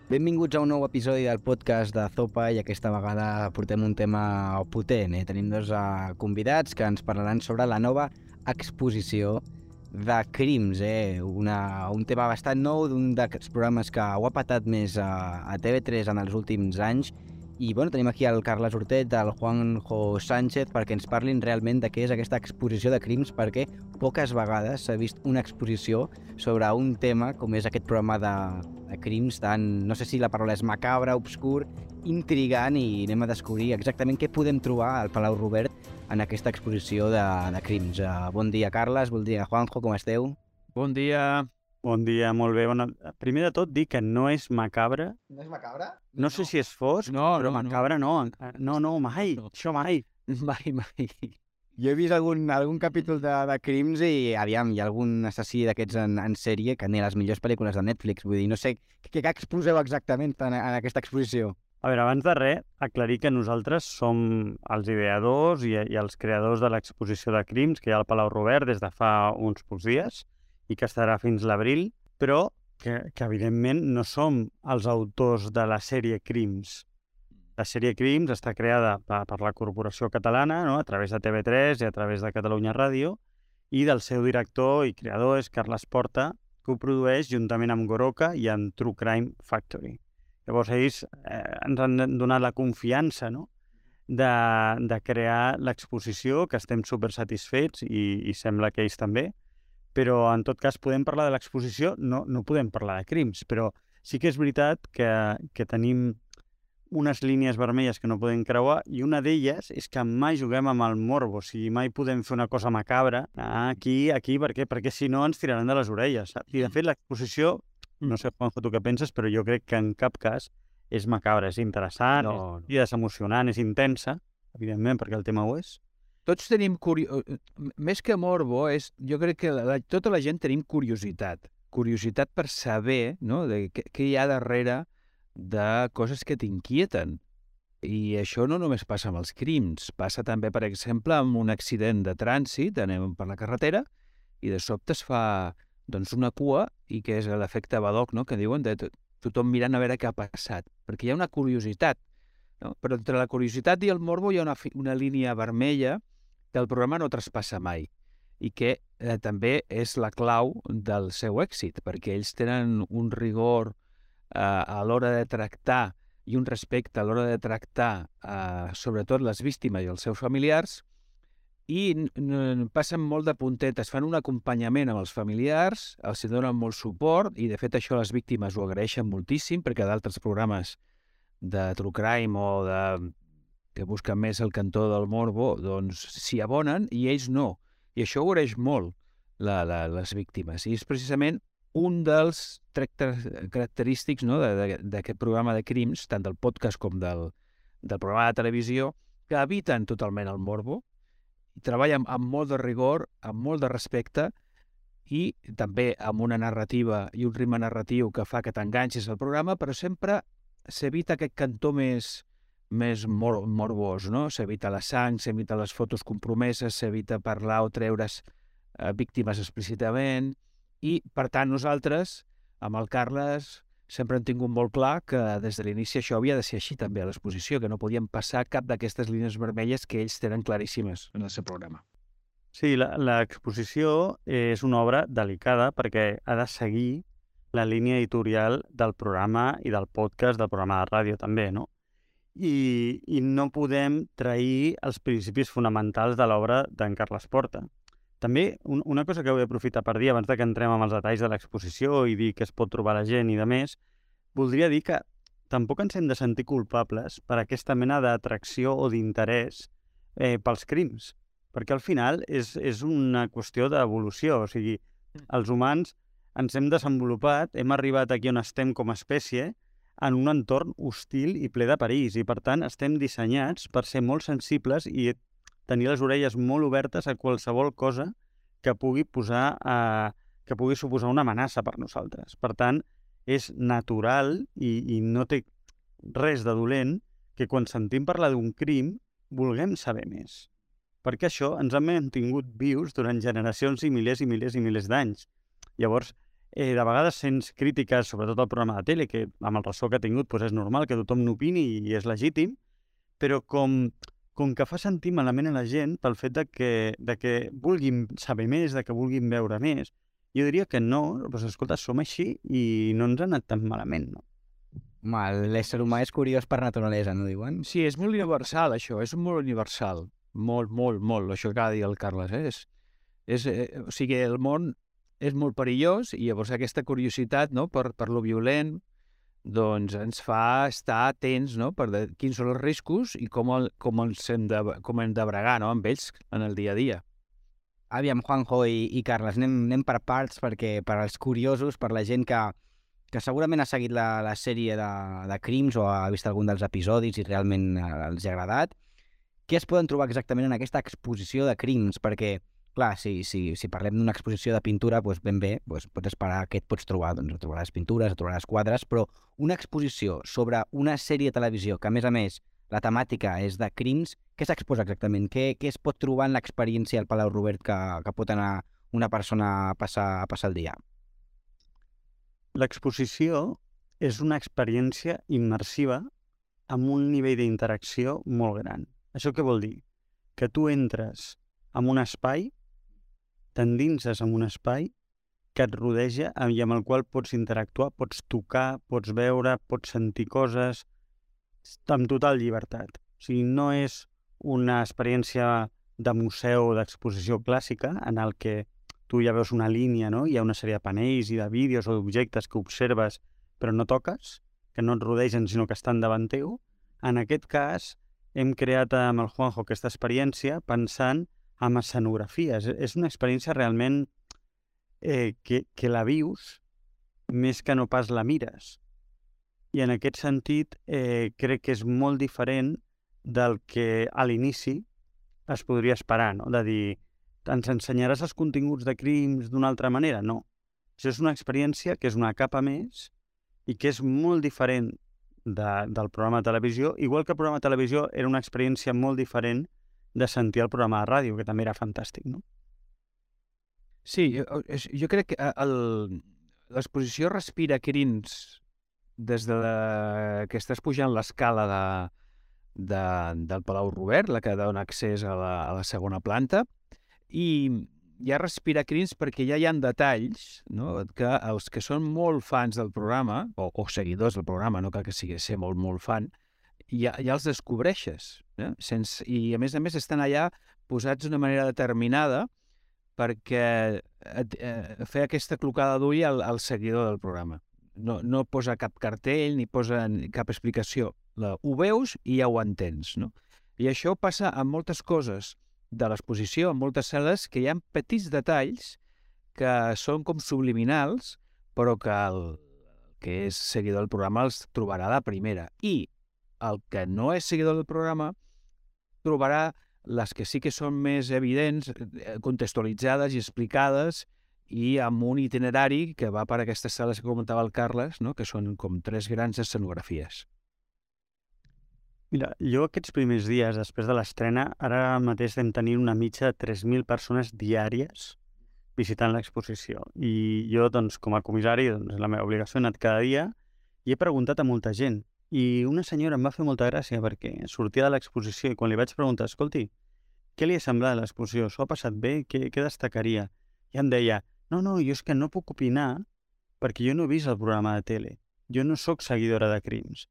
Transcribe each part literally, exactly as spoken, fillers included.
Benvinguts a un nou episodi del podcast de Zopa i aquesta vegada portem un tema potent. Eh? Tenim dos uh, convidats que ens parlaran sobre la nova exposició de crims, eh? Una, un tema bastant nou d'un d'aquests programes que ho ha patat més a, a T V tres en els últims anys. I bueno, tenim aquí el Carles Hortet, el Juanjo Sánchez, perquè ens parlin realment de què és aquesta exposició de crims, perquè poques vegades s'ha vist una exposició sobre un tema com és aquest programa de, de crims tan, no sé si la paraula és macabre, obscur, intrigant, i anem a descobrir exactament què podem trobar al Palau Robert en aquesta exposició de, de crims. Uh, bon dia, Carles, bon dia, Juanjo, com esteu? Bon dia. Bon dia, molt bé. Bueno, primer de tot, dir que no és macabre. No és macabre? No, no sé si és fosc, no, però no, macabre no. No, no, mai. No. Això mai. Mai, mai. Jo he vist algun, algun capítol de, de crims i, aviam, hi ha algun assassí d'aquests en, en sèrie que ni a les millors pel·lícules de Netflix. Vull dir, no sé què, què exposeu exactament en, en aquesta exposició. A veure, abans de res, aclarir que nosaltres som els ideadors i, i els creadors de l'exposició de crims que hi ha al Palau Robert des de fa uns pocs dies i que estarà fins l'abril, però que, que evidentment no som els autors de la sèrie Crims. La sèrie Crims està creada per, per la Corporació Catalana, no? A través de T V tres i a través de Catalunya Ràdio, i del seu director i creador és Carles Porta, que ho produeix juntament amb Goroka i amb True Crime Factory. Llavors ells eh, ens han donat la confiança, no? de, de crear l'exposició, que estem super satisfets i, i sembla que ells també, però en tot cas podem parlar de l'exposició, no, no podem parlar de crims, però sí que és veritat que, que tenim unes línies vermelles que no podem creuar i una d'elles és que mai juguem amb el morbo, o sigui, mai podem fer una cosa macabra aquí, aquí, per què? Perquè si no ens tiraran de les orelles, saps? I de fet l'exposició, no sé, Juanjo, tu què penses, però jo crec que en cap cas és macabra, és interessant, No, no. és, és emocionant, és intensa, evidentment, perquè el tema ho és. Tots tenim curiositat. Més que morbo, és, jo crec que la, tota la gent tenim curiositat. Curiositat per saber, no?, de què, què hi ha darrere de coses que t'inquieten. I això no només passa amb els crims, passa també, per exemple, amb un accident de trànsit, anem per la carretera, i de sobte es fa doncs, una cua, i que és l'efecte Badoc, no?, que diuen de tothom mirant a veure què ha passat, perquè hi ha una curiositat, no? Però entre la curiositat i el morbo hi ha una, una línia vermella que el programa no traspassa mai i que eh, també és la clau del seu èxit, perquè ells tenen un rigor eh, a l'hora de tractar i un respecte a l'hora de tractar eh, sobretot les víctimes i els seus familiars, i passen molt de puntetes, fan un acompanyament amb els familiars, els donen molt suport, i de fet això les víctimes ho agraeixen moltíssim, perquè d'altres programes de True Crime o de que busquen més el cantó del morbo, doncs s'hi abonen i ells no. I això ho agraeix molt la, la, les víctimes. I és precisament un dels tractes característics, no?, d'aquest programa de crims, tant del podcast com del, del programa de televisió, que eviten totalment el morbo, i treballen amb molt de rigor, amb molt de respecte, i també amb una narrativa i un ritme narratiu que fa que t'enganxis al programa, però sempre s'evita aquest cantó més més mor morbós, no? S'evita la sang, s'evita les fotos compromeses, s'evita parlar o treure's eh, víctimes explícitament, i, per tant, nosaltres, amb el Carles, sempre hem tingut molt clar que des de l'inici això havia de ser així també a l'exposició, que no podíem passar cap d'aquestes línies vermelles que ells tenen claríssimes en el seu programa. Sí, l'exposició és una obra delicada perquè ha de seguir la línia editorial del programa i del podcast, del programa de ràdio també, no? I, i no podem trair els principis fonamentals de l'obra d'en Carles Porta. També un, una cosa que vull aprofitar per dir abans de que entrem amb els detalls de l'exposició i dir que es pot trobar la gent i de més, voldria dir que tampoc ens hem de sentir culpables per aquesta mena d'atracció o d'interès eh, pels crims, perquè al final és, és una qüestió d'evolució, o sigui, els humans ens hem desenvolupat, hem arribat aquí on estem com a espècie, en un entorn hostil i ple de perills, i per tant estem dissenyats per ser molt sensibles i tenir les orelles molt obertes a qualsevol cosa que pugui posar a, que pugui suposar una amenaça per nosaltres. Per tant, és natural i, i no té res de dolent que quan sentim parlar d'un crim vulguem saber més. Perquè això ens ha mantingut vius durant generacions i milers i milers i milers d'anys. Llavors, Eh, de vegades sents crítiques, sobretot al programa de tele, que amb el ressò que ha tingut doncs és normal que tothom n'opini i és legítim, però com, com que fa sentir malament a la gent pel fet de que, de que vulguin saber més, de que vulguin veure més. Jo diria que no, doncs escolta, som així i no ens ha anat tan malament, no? Home, l'ésser humà és curiós per naturalesa, no diuen? Sí, és molt universal, això, és molt universal. Molt, molt, molt, això que ha de dir el Carles. Eh? És, és, eh, o sigui, el món és molt perillós i llavors aquesta curiositat, no?, per, per lo violent, doncs ens fa estar atents, no?, per de, quins són els riscos i com, el, com, els hem de, com hem de bregar, no?, amb ells en el dia a dia. Aviam, Juanjo i, i Carles, anem, anem per parts perquè per als curiosos, per la gent que, que segurament ha seguit la, la sèrie de, de Crims o ha vist algun dels episodis i realment eh, els ha agradat, què es poden trobar exactament en aquesta exposició de Crims? Perquè clar, si, si, si parlem d'una exposició de pintura, doncs ben bé, doncs pots esperar què et pots trobar. Doncs trobaràs pintures, trobaràs quadres, però una exposició sobre una sèrie de televisió que, a més a més, la temàtica és de crims, què s'exposa exactament? Què, què es pot trobar en l'experiència al Palau Robert que, que pot anar una persona a passar, a passar el dia? L'exposició és una experiència immersiva amb un nivell d'interacció molt gran. Això què vol dir? Que tu entres en un espai, t'endinses en un espai que et rodeja i amb el qual pots interactuar, pots tocar, pots veure, pots sentir coses amb total llibertat. O sigui, no és una experiència de museu o d'exposició clàssica en el que tu ja veus una línia, no? Hi ha una sèrie de panells i de vídeos o d'objectes que observes però no toques, que no et rodegen sinó que estan davant teu. En aquest cas, hem creat amb el Juanjo aquesta experiència pensant en escenografies. És una experiència realment eh, que, que la vius més que no pas la mires. I en aquest sentit eh, crec que és molt diferent del que a l'inici es podria esperar, no? De dir, ens ensenyaràs els continguts de Crims d'una altra manera? No. Això és una experiència que és una capa més i que és molt diferent de, del programa de televisió, igual que el programa de televisió era una experiència molt diferent de sentir el programa de ràdio, que també era fantàstic, no? Sí, jo, jo crec que l'exposició respira Crims des de la, que estàs pujant l'escala de, de, del Palau Robert, la que dona accés a la, a la segona planta, i ja respira Crims perquè ja hi ha detalls, no?, que els que són molt fans del programa, o, o seguidors del programa, no cal que sigui ser molt, molt fan, ja, ja els descobreixes. Eh? Sense, I a més a més estan allà posats d'una manera determinada perquè et, eh, fer aquesta clocada d'ull al, al seguidor del programa. No, no posa cap cartell ni posa cap explicació. La, ho veus i ja ho entens, no? I això passa amb moltes coses de l'exposició, en moltes sales, que hi ha petits detalls que són com subliminals, però que el que és seguidor del programa els trobarà a la primera. I el que no és seguidor del programa trobarà les que sí que són més evidents, contextualitzades i explicades, i amb un itinerari que va per aquestes sales que comentava el Carles, no?, que són com tres grans escenografies. Mira, jo aquests primers dies, després de l'estrena, ara mateix vam tenir una mitja de tres mil persones diàries visitant l'exposició. I jo, doncs, com a comissari, doncs, la meva obligació ha anat cada dia i he preguntat a molta gent. I una senyora em va fer molta gràcia perquè sortia de l'exposició i quan li vaig preguntar, escolti, què li ha semblat l'exposició? S'ho ha passat bé? Què, què destacaria? I em deia, no, no, jo és que no puc opinar perquè jo no he vist el programa de tele. Jo no sóc seguidora de Crims.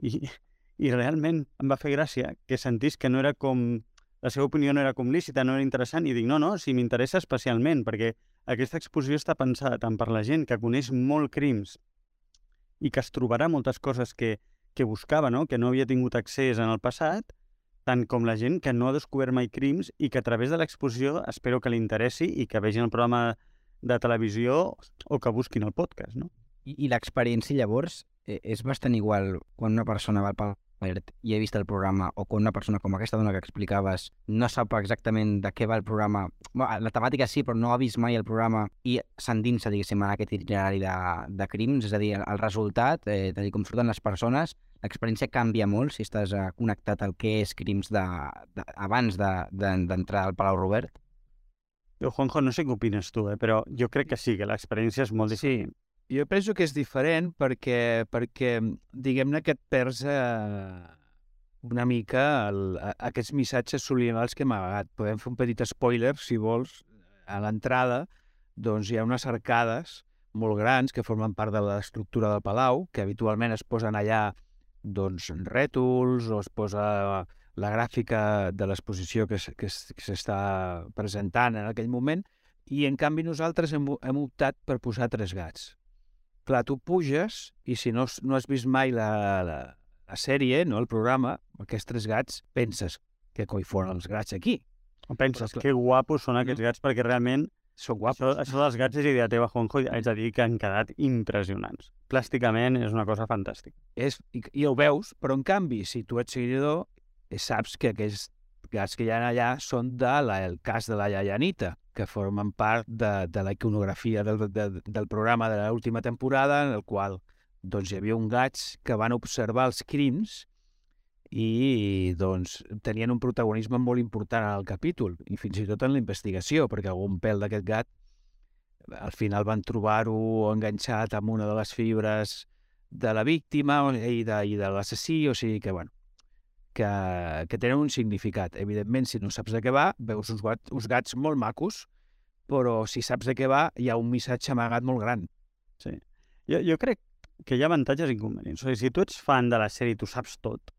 I, i realment em va fer gràcia que sentís que no era com... La seva opinió no era com lícita, no era interessant. I dic, no, no, si m'interessa especialment, perquè aquesta exposició està pensada tant per la gent que coneix molt Crims i que es trobarà moltes coses que, que buscava, no?, que no havia tingut accés en el passat, tant com la gent que no ha descobert mai Crims i que a través de l'exposició espero que li interessi i que vegin el programa de televisió o que busquin el podcast, no? I, i l'experiència, llavors, eh, és bastant igual quan una persona va al Palau Robert i ha vist el programa o quan una persona com aquesta dona que explicaves no sap exactament de què va el programa. Bueno, la temàtica sí, però no ha vist mai el programa i s'endinsa, diguéssim, en aquest itinerari de, de Crims, és a dir, el resultat, eh, de dir, com surten les persones, l'experiència canvia molt si estàs eh, connectat al que és Crims de, de, abans d'entrar de, de, al Palau Robert. Jo, Juanjo, no sé què opines tu, eh? Però jo crec que sí, que l'experiència és molt diferent. Sí, jo penso que és diferent perquè, perquè diguem-ne que et perds eh, una mica el, a, aquests missatges subliminals que hem amagat. Podem fer un petit spoiler, si vols, a l'entrada, doncs hi ha unes arcades molt grans que formen part de l'estructura del palau, que habitualment es posen allà doncs, rètols o es posa la gràfica de l'exposició que, que, que s'està presentant en aquell moment, i en canvi nosaltres hem, hem optat per posar tres gats. Clar, tu puges i si no, no has vist mai la, la, la sèrie, no el programa, aquests tres gats, penses que coi foren els gats aquí. O penses, Però, que guapos són aquests gats, perquè realment són guapos. això, això dels gats és idea teva, Juanjo, i haig de dir que han quedat impressionants. Plàsticament és una cosa fantàstica. És, i, I ho veus, però en canvi, si tu ets seguidor, saps que aquests gats que hi ha allà són del de cas de la iaia Anita, que formen part de, de la iconografia del, de, del programa de l'última temporada, en el qual doncs, hi havia un gats que van observar els crims i doncs, tenien un protagonisme molt important en el capítol, i fins i tot en la investigació, perquè algun pèl d'aquest gat al final van trobar-ho enganxat amb una de les fibres de la víctima i de, i de l'assassí, o sigui que, bueno, que, que tenen un significat. Evidentment, si no saps de què va, veus uns gats, uns gats molt macos, però si saps de què va, hi ha un missatge amagat molt gran. Sí. Jo, jo crec que hi ha avantatges i inconvenients. O sigui, si tu ets fan de la sèrie i tu saps tot,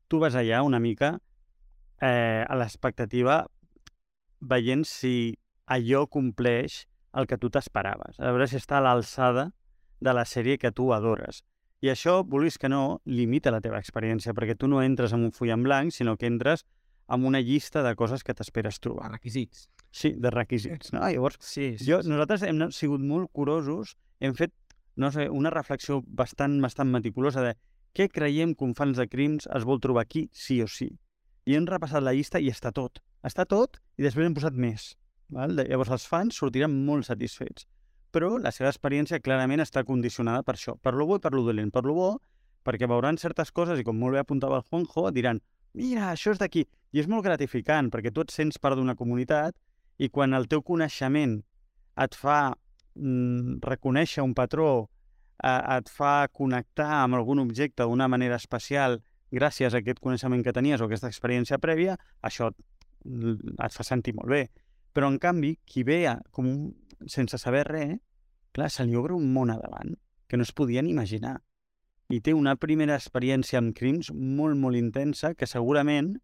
tu vas allà una mica eh, a l'expectativa veient si allò compleix el que tu t'esperaves. A veure si està a l'alçada de la sèrie que tu adores. I això, vulguis que no, limita la teva experiència, perquè tu no entres amb un full en blanc, sinó que entres amb una llista de coses que t'esperes trobar. Requisits. Sí, de requisits. No? Llavors, sí, sí, jo, sí. nosaltres hem sigut molt curosos, hem fet no sé, una reflexió bastant, bastant meticulosa de què creiem que un fans de crims es vol trobar aquí, sí o sí. I hem repassat la llista i està tot. Està tot i després hem posat més. Val? Llavors els fans sortiran molt satisfets. Però la seva experiència clarament està condicionada per això, per lo bo i per lo dolent. Per lo bo, perquè veuran certes coses i com molt bé apuntava el Juanjo, diran mira, això és d'aquí. I és molt gratificant perquè tu et sents part d'una comunitat i quan el teu coneixement et fa mm, reconèixer un patró, eh, et fa connectar amb algun objecte d'una manera especial gràcies a aquest coneixement que tenies o aquesta experiència prèvia, això et fa sentir molt bé. Però, en canvi, qui ve a, com un, sense saber res, clar, se li obre un món a davant que no es podien imaginar. I té una primera experiència amb crims molt, molt intensa que segurament,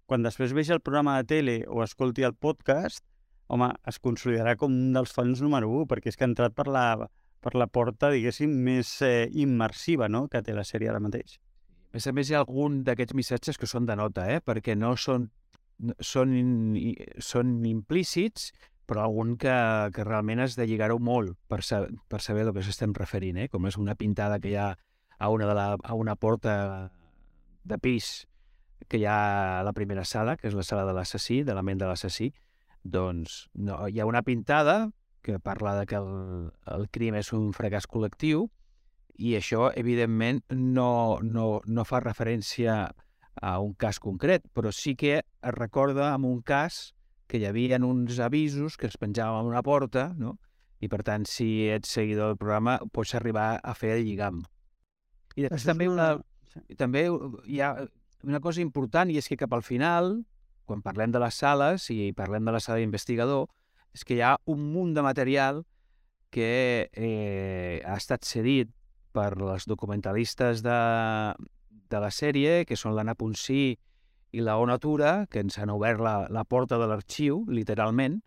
quan després vegi el programa de tele o escolti el podcast, home, es consolidarà com un dels fans número u, perquè és que ha entrat per la, per la porta, diguéssim, més eh, immersiva, no?, que té la sèrie ara mateix. A més a més, hi ha algun d'aquests missatges que són de nota, eh? Perquè no són, són, són implícits, però algun que, que realment has de lligar-ho molt per, sa per saber a què s'estem referint, eh? Com és una pintada que hi ha a una, de la, a una porta de pis que hi ha a la primera sala, que és la sala de l'assassí, de la ment de l'assassí, doncs no, hi ha una pintada que parla de que el, el crim és un fracàs col·lectiu i això, evidentment, no, no, no fa referència a un cas concret, però sí que es recorda en un cas que hi havia uns avisos que es penjaven a una porta, no? I, per tant, si ets seguidor del programa, pots arribar a fer el lligam. I després també, una, també hi ha una cosa important, i és que cap al final, quan parlem de les sales i parlem de la sala d'investigador, és que hi ha un munt de material que eh, ha estat cedit per les documentalistes de, de la sèrie, que són l'Anna Ponsí i la Ona Tura, que ens han obert la, la porta de l'arxiu, literalment,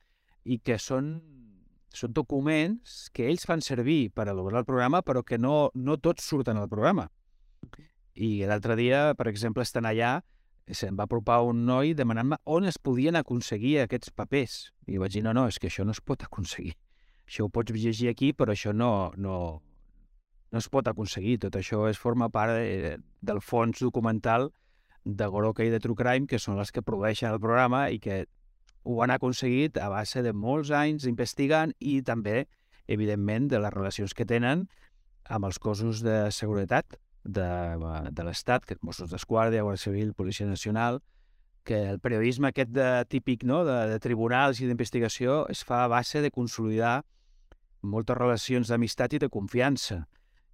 i que són, són documents que ells fan servir per elaborar el programa, però que no, no tots surten al programa. I l'altre dia, per exemple, estan allà, se'm va apropar un noi demanant-me on es podien aconseguir aquests papers. I vaig dir, no, no, és que això no es pot aconseguir. Això ho pots llegir aquí, però això no, no, no es pot aconseguir. Tot això es forma part de, del fons documental de Goroka i de True Crime, que són les que produeixen el programa i que ho han aconseguit a base de molts anys investigant i també, evidentment, de les relacions que tenen amb els cossos de seguretat de, de l'Estat, que és Mossos d'Esquadra, Guàrdia Civil, Policia Nacional, que el periodisme aquest de, típic, no?, de, de tribunals i d'investigació es fa a base de consolidar moltes relacions d'amistat i de confiança.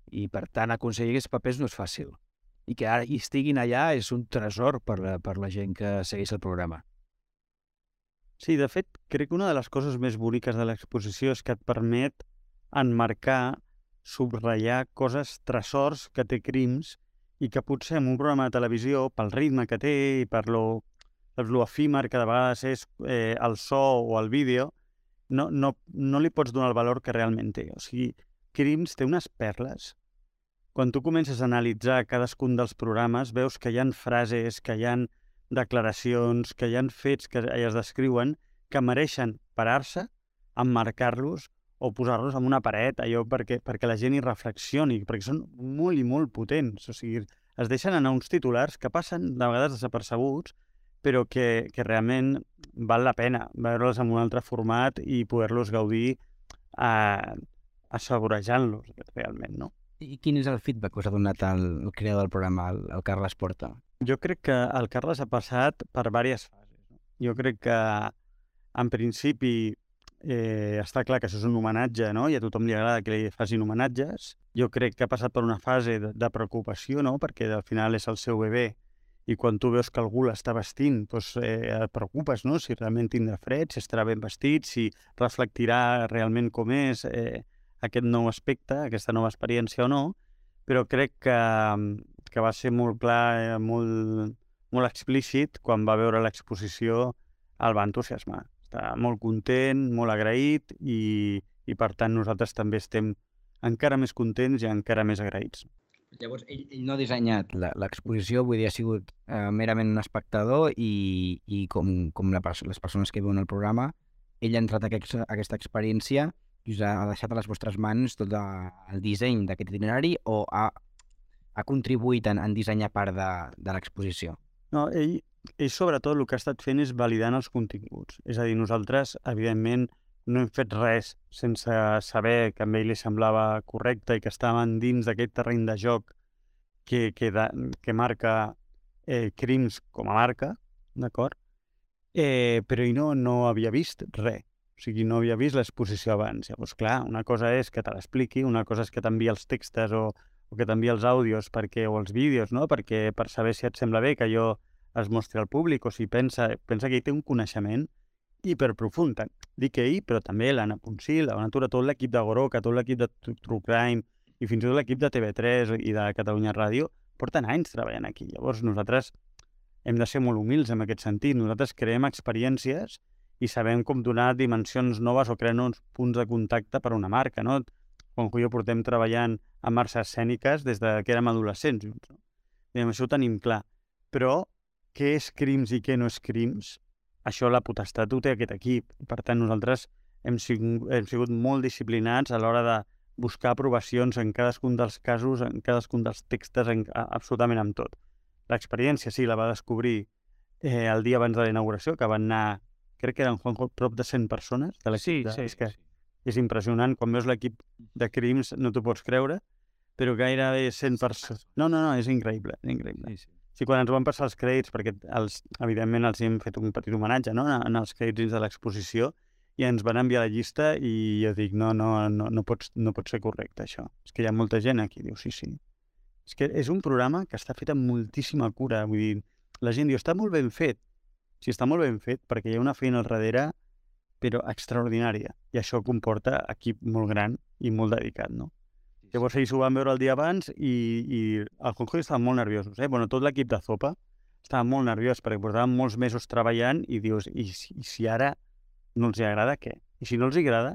I, per tant, aconseguir aquests papers no és fàcil. I que ara hi estiguin allà és un tresor per la, per la gent que segueix el programa. Sí, de fet, crec que una de les coses més boniques de l'exposició és que et permet enmarcar, subratllar coses, tresors que té Crims i que potser en un programa de televisió, pel ritme que té i per lo, per lo efímer que de vegades és eh, el so o el vídeo, no, no, no li pots donar el valor que realment té. O sigui, Crims té unes perles. Quan tu comences a analitzar cadascun dels programes, veus que hi ha frases, que hi ha declaracions, que hi ha fets que es descriuen que mereixen parar-se, emmarcar-los o posar-los en una paret, allò perquè, perquè la gent hi reflexioni, perquè són molt i molt potents. O sigui, es deixen anar uns titulars que passen de vegades desapercebuts, però que, que realment val la pena veure'ls en un altre format i poder-los gaudir eh, assaborejant-los realment, no? I quin és el feedback que us ha donat el, el creador del programa, el, el Carles Porta? Jo crec que el Carles ha passat per diverses fases. No? Jo crec que, en principi, eh, està clar que això és un homenatge, no? I a tothom li agrada que li facin homenatges. Jo crec que ha passat per una fase de, de preocupació, no? Perquè al final és el seu bebè i quan tu veus que algú l'està vestint, doncs, eh, et preocupes, no? Si realment tindrà fred, si estarà ben vestit, si reflectirà realment com és eh, aquest nou aspecte, aquesta nova experiència o no, però crec que, que va ser molt clar, eh, molt, molt explícit, quan va veure l'exposició el va entusiasmar. Està molt content, molt agraït i, i per tant nosaltres també estem encara més contents i encara més agraïts. Llavors, ell, ell no ha dissenyat l'exposició, vull dir, ha sigut eh, merament un espectador i, i com, com la, les persones que veuen el programa, ell ha entrat a aquest, aquesta experiència i us ha deixat a les vostres mans tot el disseny d'aquest itinerari o ha, ha contribuït en, en dissenyar part de, de l'exposició? No, ell, ell sobretot el que ha estat fent és validant els continguts. És a dir, nosaltres, evidentment, no hem fet res sense saber que a ell li semblava correcte i que estàvem dins d'aquest terreny de joc que, que, da, que marca eh, Crims com a marca, d'acord? Eh, però ell no, no havia vist res. O sigui, no havia vist l'exposició abans. Llavors, clar, una cosa és que te l'expliqui, una cosa és que t'envia els textos o, o que t'envia els àudios perquè, o els vídeos, no? Perquè per saber si et sembla bé que allò es mostri al públic o si pensa, pensa que ell té un coneixement hiperprofund. Dic ell, però també l'Anna Poncil, la Natura, tot l'equip de Goroca, tot l'equip de True Crime i fins i tot l'equip de T V tres i de Catalunya Ràdio porten anys treballant aquí. Llavors nosaltres hem de ser molt humils en aquest sentit. Nosaltres creem experiències i sabem com donar dimensions noves o crear uns punts de contacte per a una marca, no? Quan jo portem treballant amb arts escèniques des de que érem adolescents junts, no? I amb això ho tenim clar. Però què és Crims i què no és Crims? Això la potestat ho té aquest equip. Per tant, nosaltres hem sigut, hem sigut molt disciplinats a l'hora de buscar aprovacions en cadascun dels casos, en cadascun dels textos, en, absolutament amb tot. L'experiència, sí, la va descobrir eh, el dia abans de la inauguració, que van anar, crec que eren, Juanjo, prop de cent persones. De sí, de, sí, és que sí. És impressionant. Quan veus l'equip de Crims no t'ho pots creure, però gairebé cent persones. No, no, no, és increïble, és increïble. Sí, sí. Sí, quan ens van passar els crèdits, perquè els, evidentment els hem fet un petit homenatge, no?, en els crèdits dins de l'exposició, i ens van enviar la llista i jo dic, no, no, no, no, pots, no pot ser correcte això. És que hi ha molta gent aquí, diu, sí, sí. És que és un programa que està fet amb moltíssima cura, vull dir, la gent diu, està molt ben fet. Sí, està molt ben fet, perquè hi ha una feina al darrere, però extraordinària, i això comporta equip molt gran i molt dedicat, no? Llavors ells ho van veure el dia abans i, i el Juanjo estaven molt nerviosos. Eh? Bueno, tot l'equip de Zopa estava molt nerviós perquè portaven molts mesos treballant i dius, i si, i si ara no els agrada, què? I si no els agrada,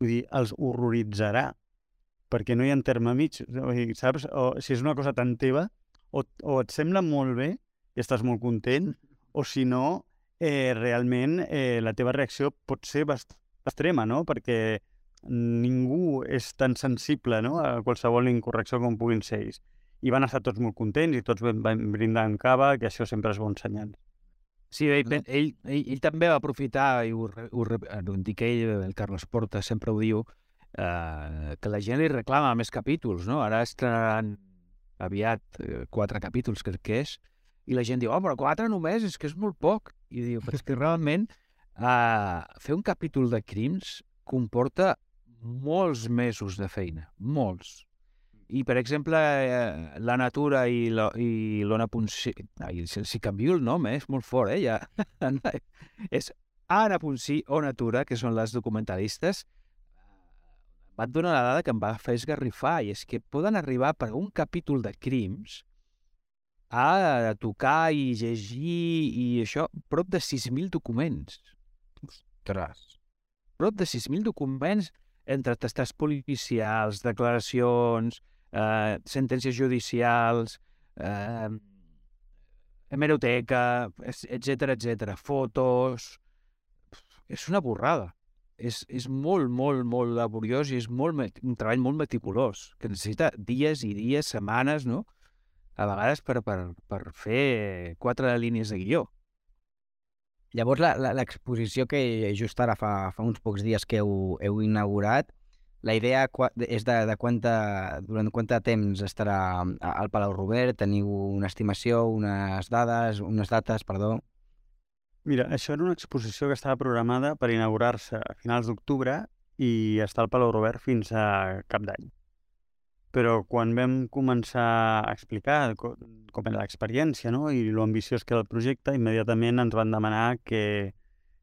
vull dir, els horroritzarà, perquè no hi ha terme mig, saps? O si és una cosa tan teva, o, o et sembla molt bé i estàs molt content, o si no, eh, realment eh, la teva reacció pot ser bastant extrema, no? Perquè ningú és tan sensible, no?, a qualsevol incorrecció com puguin ser ells. I van estar tots molt contents i tots van brindar en cava, que això sempre és bon senyal. Sí, ell, ell, ell, ell també va aprofitar, i ho, ho, ho dic ell, el Carles Porta sempre ho diu, eh, que la gent li reclama més capítols, no? Ara estrenaran aviat eh, quatre capítols, crec que és, I la gent diu, oh, però quatre només, és que és molt poc. I diu, però és que realment uh, fer un capítol de crims comporta molts mesos de feina, molts. I, per exemple, eh, la Natura i l'Ona Ponsí... Ai, si, si canvio el nom, eh? És molt fort, eh? Ja. És Anna Ponsí o Natura, que són les documentalistes, van donar la dada que em va fer esgarrifar, i és que poden arribar per un capítol de crims a tocar i llegir i això, prop de sis mil documents. Ostres. Prop de sis mil documents entre testats policials, declaracions, eh, sentències judicials, eh, hemeroteca, etcètera, etcètera, fotos... És una borrada. És, és molt, molt, molt laboriós i és molt, un treball molt meticulós, que necessita dies i dies, setmanes, no? A vegades per, per, per fer quatre línies de guió. Llavors, l'exposició que just ara fa, fa uns pocs dies que heu, heu inaugurat, la idea és de, de quanta, durant quant temps estarà al Palau Robert? Teniu una estimació, unes dades, unes dates, perdó? Mira, això era una exposició que estava programada per inaugurar-se a finals d'octubre i estar al Palau Robert fins a cap d'any. Però quan vam començar a explicar com era l'experiència, no? I l'ambiciós que era el projecte, immediatament ens van demanar que,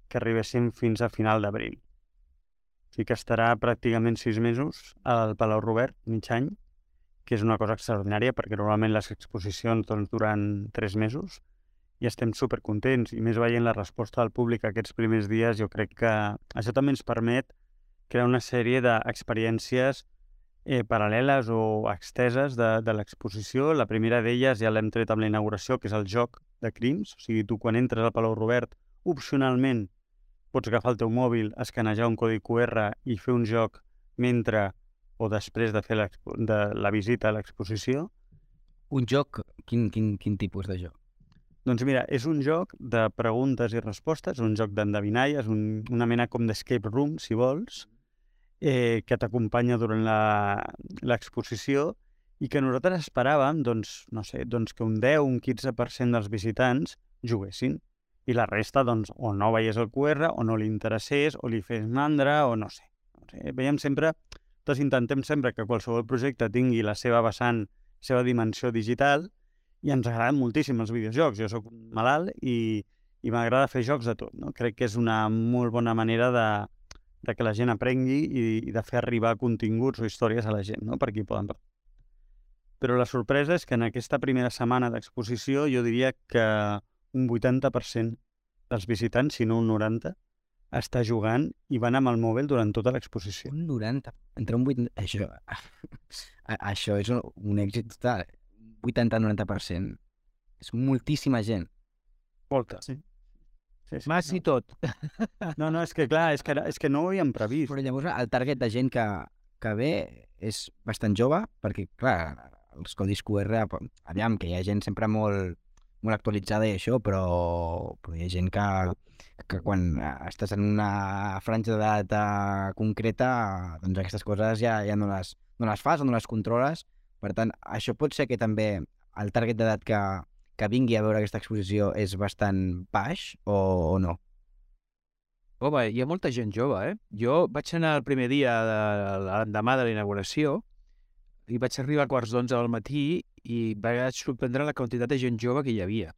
que arribéssim fins a final d'abril. O sigui que estarà pràcticament sis mesos al Palau Robert, mig any, que és una cosa extraordinària perquè normalment les exposicions doncs, duran tres mesos i estem supercontents, i més veient la resposta del públic aquests primers dies, jo crec que això també ens permet crear una sèrie d'experiències eh, paral·leles o exteses de, de l'exposició. La primera d'elles ja l'hem tret amb la inauguració, que és el joc de crims. O sigui, tu quan entres al Palau Robert, opcionalment pots agafar el teu mòbil, escanejar un codi cu erre i fer un joc mentre o després de fer de la visita a l'exposició. Un joc? Quin, quin, quin tipus de joc? Doncs mira, és un joc de preguntes i respostes, un joc d'endevinalles, un, una mena com d'escape room, si vols, eh, que t'acompanya durant l'exposició i que nosaltres esperàvem, doncs, no sé, doncs que un deu, un quinze per cent dels visitants juguessin i la resta, doncs, o no veiés el cu erre, o no li interessés, o li fes mandra, o no sé. No sé. Veiem sempre, doncs intentem sempre que qualsevol projecte tingui la seva vessant, la seva dimensió digital, i ens agraden moltíssim els videojocs. Jo sóc malalt i, i m'agrada fer jocs de tot, no? Crec que és una molt bona manera de, de que la gent aprengui i, i de fer arribar continguts o històries a la gent, no? Per aquí poden... Però la sorpresa és que en aquesta primera setmana d'exposició jo diria que un vuitanta per cent dels visitants, si no un noranta, està jugant i van amb el mòbil durant tota l'exposició. Un noranta? Entre un vuitanta... Això, això és un, un èxit total. vuitanta a noranta per cent. És moltíssima gent. Molta. Sí. Sí, sí, Mas no. i tot. No, no, és que clar, és que, és que no ho havíem previst. Però llavors el target de gent que, que ve és bastant jove, perquè clar, els codis cu erre, aviam, que hi ha gent sempre molt, molt actualitzada i això, però, però hi ha gent que, que quan estàs en una franja d'edat concreta, doncs aquestes coses ja, ja no, les, no les fas o no les controles. Per tant, això pot ser que també el target d'edat que, que vingui a veure aquesta exposició és bastant baix o, o no? Home, hi ha molta gent jove, eh? Jo vaig anar el primer dia, de, l'endemà de la inauguració, i vaig arribar a quarts d'onze del matí i vaig sorprendre la quantitat de gent jove que hi havia.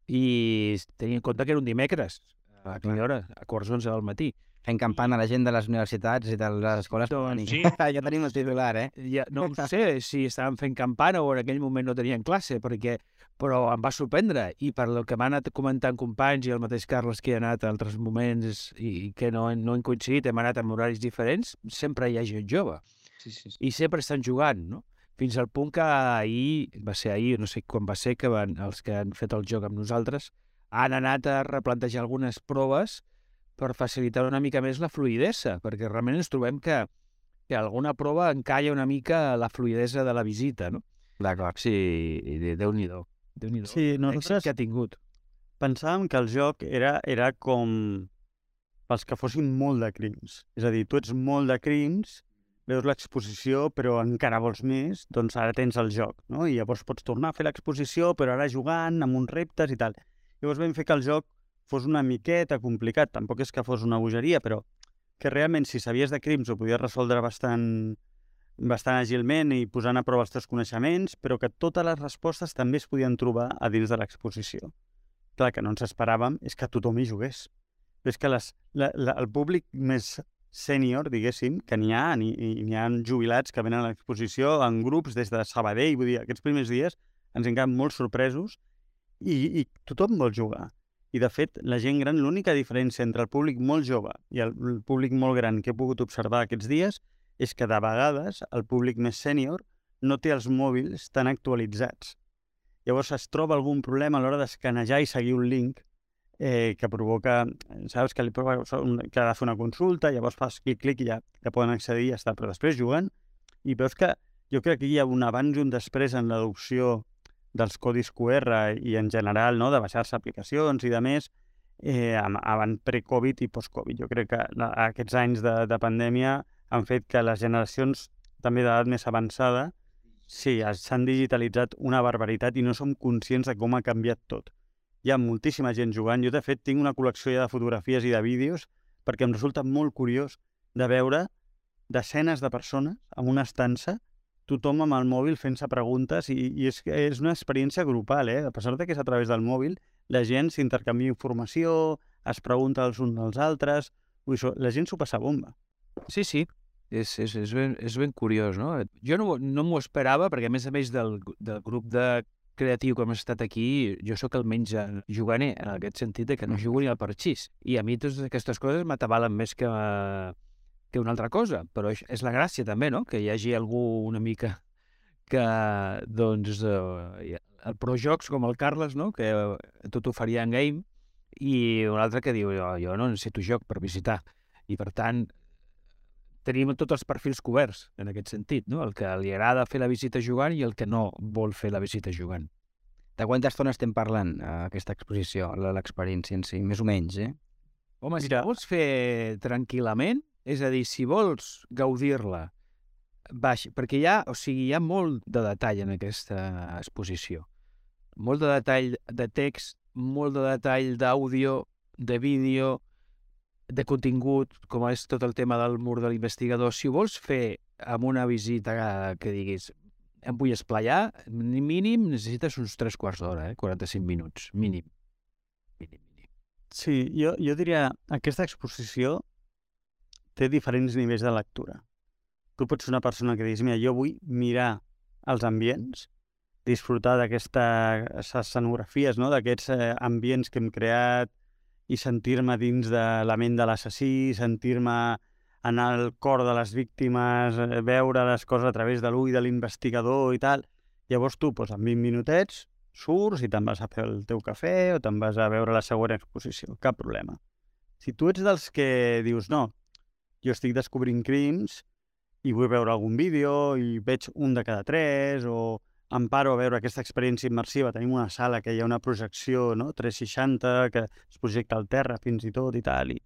I tenia en compte que era un dimecres, a quina hora? A quarts d'onze del matí. Fent campana a la gent de les universitats i de les escoles. Doncs sí. Ja tenim el titular, eh? Ja, no sé si estaven fent campana o en aquell moment no tenien classe, perquè, però em va sorprendre. I per el que m'han anat comentant companys i el mateix Carles que ha anat a altres moments i que no, no han coincidit, hem anat en horaris diferents, sempre hi ha gent jove. Sí, sí, sí. I sempre estan jugant, no? Fins al punt que ahir, va ser ahir, no sé quan va ser, que van, els que han fet el joc amb nosaltres han anat a replantejar algunes proves per facilitar una mica més la fluïdesa, perquè realment ens trobem que, que alguna prova encalla una mica la fluïdesa de la visita, no? D'acord. Sí, Déu-n'hi-do. Déu-n'hi-do. Sí, nosaltres que ha tingut. Pensàvem que el joc era, era com pels que fossin molt de crims. És a dir, tu ets molt de crims, veus l'exposició però encara vols més, doncs ara tens el joc, no? I llavors pots tornar a fer l'exposició però ara jugant amb uns reptes i tal. Llavors vam fer que el joc fos una miqueta complicat, tampoc és que fos una bogeria, però que realment si sabies de crims ho podies resoldre bastant, bastant agilment i posant a prova els teus coneixements, però que totes les respostes també es podien trobar a dins de l'exposició. Clar, que no ens esperàvem és que tothom hi jugués. És que les, la, la, el públic més sènior, diguéssim, que n'hi ha, n'hi ha jubilats que venen a l'exposició en grups des de Sabadell, vull dir, aquests primers dies ens hem quedat molt sorpresos i, i tothom vol jugar. I, de fet, la gent gran, l'única diferència entre el públic molt jove i el públic molt gran que he pogut observar aquests dies és que, de vegades, el públic més sènior no té els mòbils tan actualitzats. Llavors es troba algun problema a l'hora d'escanejar i seguir un link eh, que provoca, saps, que, li provoca, que ha de fer una consulta, llavors fas clic-clic i ja, ja poden accedir i ja està. Però després juguen i veus que jo crec que hi ha un abans i un després en l'adopció dels codis Q R i en general, no?, de baixar-se aplicacions i de més, eh, abans pre-Covid i post-Covid. Jo crec que la, aquests anys de, de pandèmia han fet que les generacions també d'edat més avançada sí, s'han digitalitzat una barbaritat i no som conscients de com ha canviat tot. Hi ha moltíssima gent jugant. Jo, de fet, tinc una col·lecció ja de fotografies i de vídeos perquè em resulta molt curiós de veure desenes de persones en una estança, tothom amb el mòbil fent-se preguntes i, i és, és una experiència grupal, eh? A pesar de que és a través del mòbil, la gent s'intercanvia informació, es pregunta els uns als altres, ui, la gent s'ho passa bomba. Sí, sí, és, és, és, ben, és ben curiós, no? Jo no, no m'ho esperava perquè, a més a més del, del grup de creatiu que hem estat aquí, jo sóc el menys juganer, en aquest sentit de que no jugo ni al parxís. I a mi totes aquestes coses m'atabalen més que, que una altra cosa, però és, és la gràcia també, no?, que hi hagi algú una mica que, doncs, eh, el projocs com el Carles, no?, que tot ho faria en game, i un altre que diu, jo, jo no necessito joc per visitar. I, per tant, tenim tots els perfils coberts, en aquest sentit, no?, el que li agrada fer la visita jugant i el que no vol fer la visita jugant. De quanta estona estem parlant, a aquesta exposició, l'experiència en si, més o menys, eh? Home, si la vols fer tranquil·lament, és a dir, si vols gaudir-la, baix, perquè hi ha, o sigui, hi ha molt de detall en aquesta exposició. Molt de detall de text, molt de detall d'àudio, de vídeo, de contingut, com és tot el tema del mur de l'investigador. Si ho vols fer amb una visita que diguis em vull esplaiar, mínim necessites uns tres quarts d'hora, eh? quaranta-cinc minuts, mínim. mínim, mínim. Sí, jo, jo diria, aquesta exposició té diferents nivells de lectura. Tu pots ser una persona que diguis, mira, jo vull mirar els ambients, disfrutar d'aquestes escenografies, no?, d'aquests eh, ambients que hem creat i sentir-me dins de la ment de l'assassí, sentir-me en el cor de les víctimes, eh, veure les coses a través de l'ull de l'investigador i tal. Llavors tu, doncs, en vint minutets, surts i te'n vas a fer el teu cafè o te'n vas a veure la següent exposició. Cap problema. Si tu ets dels que dius, no, jo estic descobrint crims i vull veure algun vídeo i veig un de cada tres o em paro a veure aquesta experiència immersiva. Tenim una sala que hi ha una projecció, no?, tres seixanta, que es projecta al terra fins i tot i tal, i,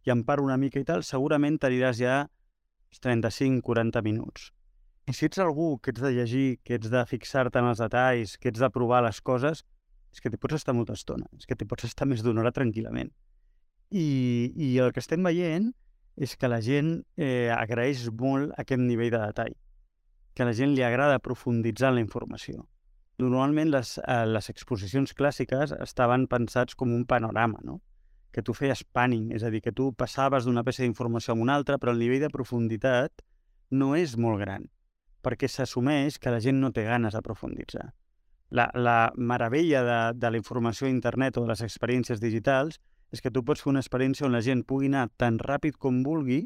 i em paro una mica i tal, segurament t'aniràs ja trenta-cinc a quaranta minuts. I si ets algú que ets de llegir, que ets de fixar-te en els detalls, que ets de provar les coses, és que t'hi pots estar molta estona, és que t'hi pots estar més d'una hora tranquil·lament. I, I el que estem veient és que la gent eh, agraeix molt aquest nivell de detall, que a la gent li agrada profunditzar en la informació. Normalment les, eh, les exposicions clàssiques estaven pensats com un panorama, no?, que tu feies panning, és a dir, que tu passaves d'una peça d'informació a una altra, però el nivell de profunditat no és molt gran, perquè s'assumeix que la gent no té ganes de profunditzar. La, la meravella de, de la informació a internet o de les experiències digitals és que tu pots fer una experiència on la gent pugui anar tan ràpid com vulgui,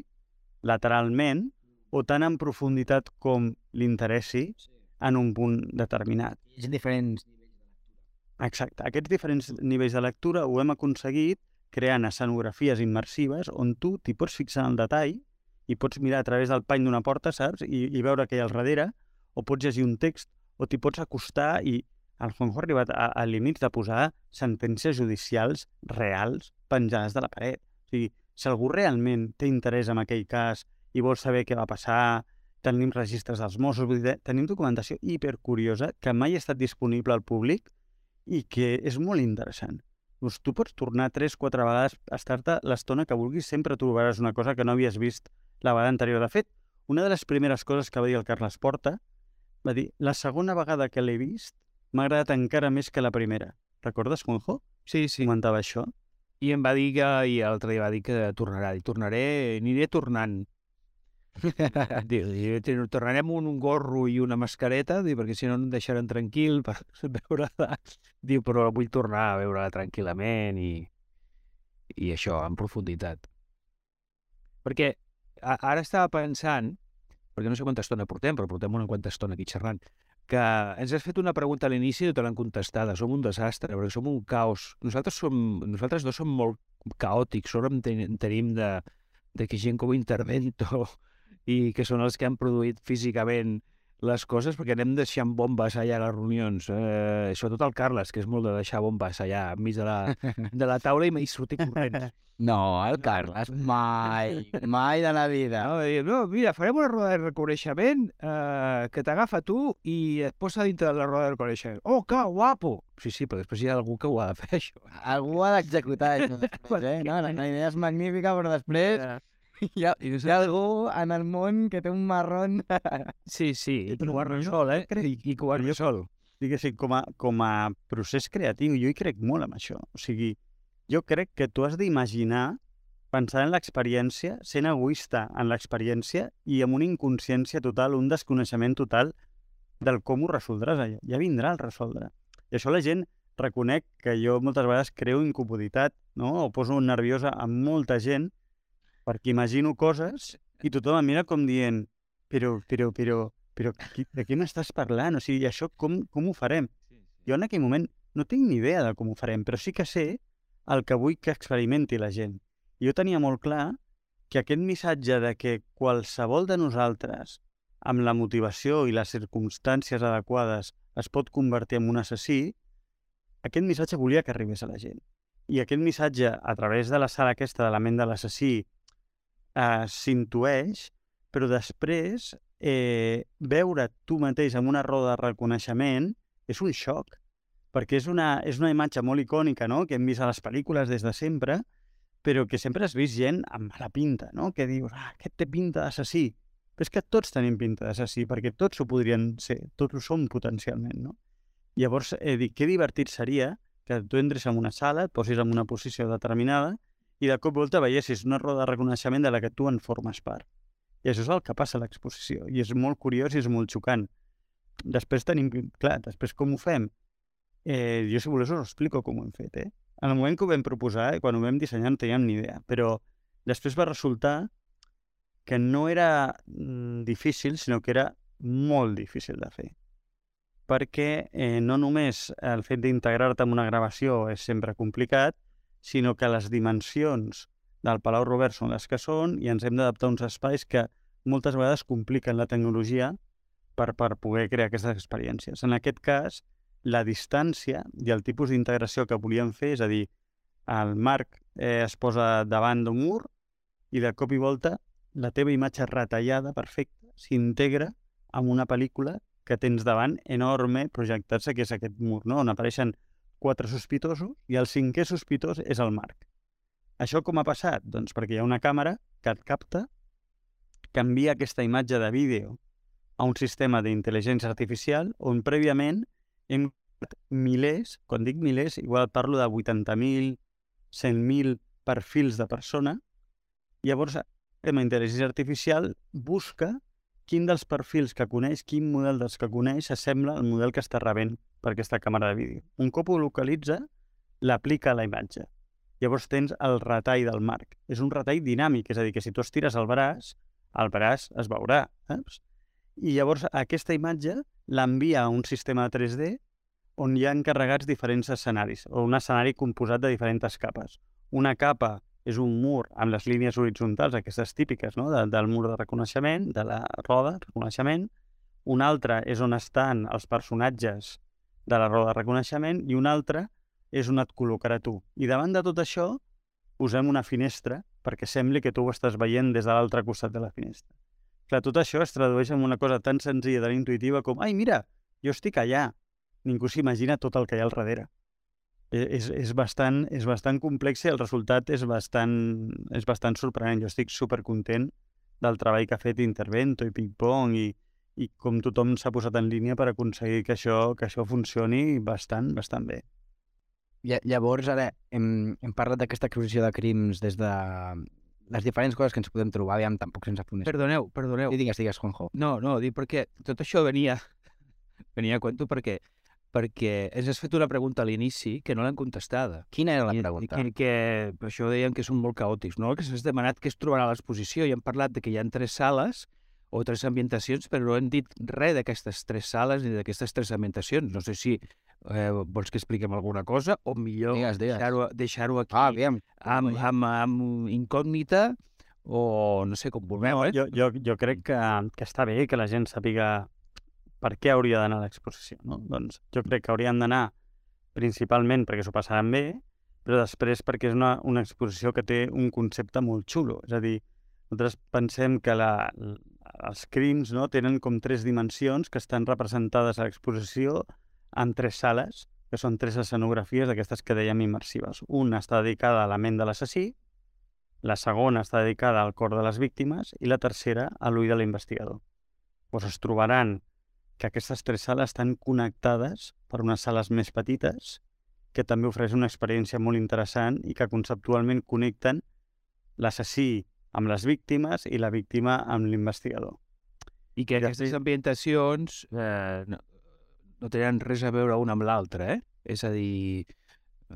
lateralment, o tan en profunditat com li interessi en un punt determinat. Hi ha diferents nivells de lectura. Exacte. Aquests diferents nivells de lectura ho hem aconseguit creant escenografies immersives on tu t'hi pots fixar en el detall i pots mirar a través del pany d'una porta, saps? I, i veure què hi ha al darrere, o pots llegir un text, o t'hi pots acostar i el Juanjo ha arribat a, a límits de posar sentències judicials reals penjades de la paret. O sigui, si algú realment té interès en aquell cas i vol saber què va passar, tenim registres dels Mossos, vull dir, tenim documentació hipercuriosa que mai ha estat disponible al públic i que és molt interessant. Doncs tu pots tornar tres, quatre vegades, estar-te l'estona que vulguis, sempre trobaràs una cosa que no havies vist la vegada anterior. De fet, una de les primeres coses que va dir el Carles Porta va dir, la segona vegada que l'he vist m'ha agradat encara més que la primera. Recordes, Juanjo? Sí, sí. Comentava això. I em va dir que, i l'altre dia va dir que tornarà. I tornaré, aniré tornant. Diu, diu, tornarem un, un gorro i una mascareta, diu, perquè si no em deixaran tranquil per veure-la. Diu, però vull tornar a veure-la tranquil·lament i, i això, en profunditat. Perquè a, ara estava pensant, perquè no sé quanta estona portem, però portem una quanta estona aquí xerrant, que ens has fet una pregunta a l'inici i te l'han contestada. Som un desastre, perquè som un caos. Nosaltres, som, nosaltres dos som molt caòtics, sobre en tenim de, de que gent com Intervento i que són els que han produït físicament les coses, perquè anem deixant bombes allà a les reunions. Eh, sobretot el Carles, que és molt de deixar bombes allà enmig de la, de la taula i m'hi sortit corrents. No, el Carles, mai, mai de la vida. No, dir, no, mira, farem una roda de reconeixement eh, que t'agafa tu i et posa dintre de la roda de reconeixement. Oh, que guapo! Sí, sí, però després hi ha algú que ho ha de fer, això. Algú ha d'executar això després, eh? No, la, la idea és magnífica, però després hi ha, hi ha algú en el món que té un marrón. Sí, sí, i que ho ha resolt, eh? I, i que ho ha resolt. Diguéssim, com a, com a procés creatiu, jo hi crec molt en això. O sigui, jo crec que tu has d'imaginar, pensar en l'experiència, sent egoista en l'experiència i amb una inconsciència total, un desconeixement total del com ho resoldràs allà. Ja vindrà el resoldre. I això la gent reconec que jo moltes vegades creo incomoditat, no? O poso nerviosa amb molta gent perquè imagino coses i tothom em mira com dient però, però, però, però de què m'estàs parlant? O sigui, això com, com ho farem? Jo en aquell moment no tinc ni idea de com ho farem, però sí que sé el que vull que experimenti la gent. I jo tenia molt clar que aquest missatge de que qualsevol de nosaltres, amb la motivació i les circumstàncies adequades, es pot convertir en un assassí, aquest missatge volia que arribés a la gent. I aquest missatge, a través de la sala aquesta de la ment de l'assassí, eh, s'intueix, però després eh, veure tu mateix en una roda de reconeixement és un xoc, perquè és una, és una imatge molt icònica, no?, que hem vist a les pel·lícules des de sempre, però que sempre has vist gent amb mala pinta, no?, que dius, ah, aquest té pinta d'assassí. Però és que tots tenim pinta d'assassí, perquè tots ho podrien ser, tots ho som potencialment, no? Llavors, eh, dic, que divertit seria que tu entres en una sala, et posis en una posició determinada i de cop i volta veiessis una roda de reconeixement de la que tu en formes part. I això és el que passa a l'exposició, i és molt curiós i és molt xocant. Després tenim, clar, després com ho fem? Eh, jo, si voleu, us explico com ho hem fet, eh? En el moment que ho vam proposar, eh, quan ho vam dissenyar, no teníem ni idea, però després va resultar que no era mm, difícil, sinó que era molt difícil de fer. Perquè eh, no només el fet d'integrar-te en una gravació és sempre complicat, sinó que les dimensions del Palau Robert són les que són i ens hem d'adaptar a uns espais que moltes vegades compliquen la tecnologia per, per poder crear aquestes experiències. En aquest cas, la distància i el tipus d'integració que volíem fer, és a dir, el Marc eh, es posa davant d'un mur i de cop i volta la teva imatge retallada, perfecta, s'integra amb una pel·lícula que tens davant enorme projectar-se, que és aquest mur, no?, on apareixen quatre sospitosos i el cinquè sospitós és el Marc. Això com ha passat? Doncs perquè hi ha una càmera que et capta, que envia aquesta imatge de vídeo a un sistema d'intel·ligència artificial on prèviament hem milers, quan dic milers, igual parlo de vuitanta mil, cent mil perfils de persona. Llavors, el sistema d'intel·ligència artificial busca quin dels perfils que coneix, quin model dels que coneix s'assembla al model que està rebent per aquesta càmera de vídeo. Un cop ho localitza, l'aplica a la imatge. Llavors tens el retall del Marc. És un retall dinàmic, és a dir, que si tu estires el braç, el braç es veurà. Saps? I llavors aquesta imatge l'envia a un sistema de tres D on hi ha encarregats diferents escenaris, o un escenari composat de diferents capes. Una capa és un mur amb les línies horitzontals, aquestes típiques, no?, de, del mur de reconeixement, de la roda de reconeixement. Una altra és on estan els personatges de la roda de reconeixement i una altra és on et col·locarà tu. I davant de tot això posem una finestra perquè sembli que tu ho estàs veient des de l'altre costat de la finestra. Clar, tot això es tradueix en una cosa tan senzilla, tan intuïtiva com ai, mira, jo estic allà. Ningú s'imagina tot el que hi ha al darrere. És, és, bastant, és bastant complex i el resultat és bastant, és bastant sorprenent. Jo estic supercontent del treball que ha fet Intervento i Ping-Pong i, i com tothom s'ha posat en línia per aconseguir que això, que això funcioni bastant, bastant bé. Llavors, ara hem, hem parlat d'aquesta exposició de crims des de les diferents coses que ens podem trobar, aviam, tampoc sense fonés. Perdoneu, perdoneu. I digues, digues, Juanjo. No, no, dic perquè tot això venia, venia a cuento perquè, perquè ens has fet una pregunta a l'inici que no l'hem contestada. Quina era la I, pregunta? I que, que per això deien que són molt caòtics, no? Que s'has demanat què es trobarà a l'exposició i hem parlat de que hi ha tres sales o tres ambientacions, però no hem dit res d'aquestes tres sales ni d'aquestes tres ambientacions. No sé si eh, vols que expliquem alguna cosa o millor Digues, digues. deixar-ho deixar aquí Ah, aviam. amb, amb, amb incògnita o no sé com vulgueu, No, eh? jo, jo, jo crec que, que està bé que la gent sàpiga per què hauria d'anar a l'exposició. No? Doncs jo crec que haurien d'anar principalment perquè s'ho passaran bé, però després perquè és una, una exposició que té un concepte molt xulo. És a dir, nosaltres pensem que la, els crims, no, tenen com tres dimensions que estan representades a l'exposició en tres sales, que són tres escenografies d'aquestes que dèiem immersives. Una està dedicada a la ment de l'assassí, la segona està dedicada al cor de les víctimes i la tercera a l'ull de l'investigador. Doncs es trobaran que aquestes tres sales estan connectades per unes sales més petites que també ofereix una experiència molt interessant i que conceptualment connecten l'assassí amb les víctimes i la víctima amb l'investigador. I que I aquestes després- ambientacions eh, no, no tenen res a veure una amb l'altra, eh? És a dir,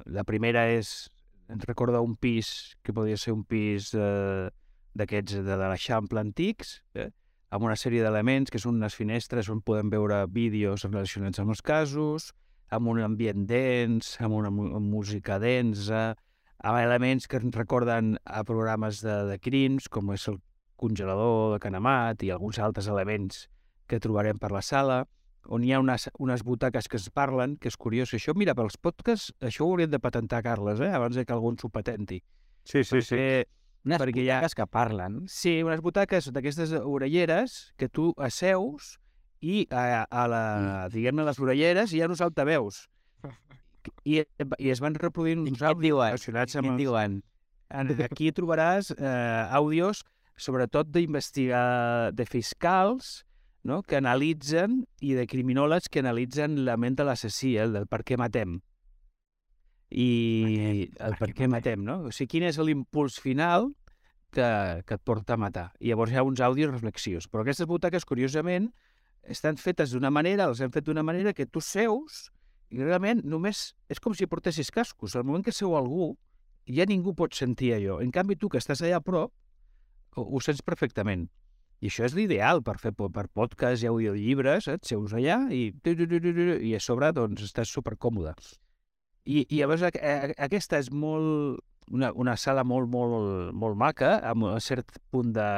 la primera és, ens recorda un pis que podria ser un pis eh, d'aquests de, de l'Eixample antics, eh? Amb una sèrie d'elements que són unes finestres on podem veure vídeos relacionats amb els casos, amb un ambient dens, amb una mu- música densa, amb elements que ens recorden a programes de, de crims, com és el congelador de Canamat i alguns altres elements que trobarem per la sala, on hi ha unes, unes butaques que es parlen, que és curiós. Això, mira, pels podcasts, això ho hauríem de patentar, Carles, eh? Abans de que algú ens ho patenti. Sí, sí, sí. Perquè, Unes perquè hi ha- butaques que parlen. sí, unes butaques d'aquestes orelleres que tu asseus i a, a la, diguem-ne, les orelleres hi ha uns altaveus. I, i es van reproduint I uns què et àudios diuen? relacionats Què amb et els... diuen? En- Aquí trobaràs eh, àudios, sobretot d'investigar de fiscals, no?, que analitzen, i de criminòlegs que analitzen la ment de l'assassí, el del per què matem. I el per què matem, no? O sigui, quin és l'impuls final que, que et porta a matar. I llavors hi ha uns àudios reflexius. Però aquestes butaques, curiosament, estan fetes d'una manera, les hem fet d'una manera que tu seus i realment només és com si portessis cascos. Al moment que seu algú, ja ningú pot sentir allò. En canvi, tu que estàs allà a prop, ho, ho sents perfectament. I això és l'ideal per fer po- per podcast i audiollibres, eh? Et seus allà i, i a sobre doncs, estàs supercòmode. I, i llavors a, a, aquesta és molt, una, una sala molt, molt, molt maca, amb un cert punt de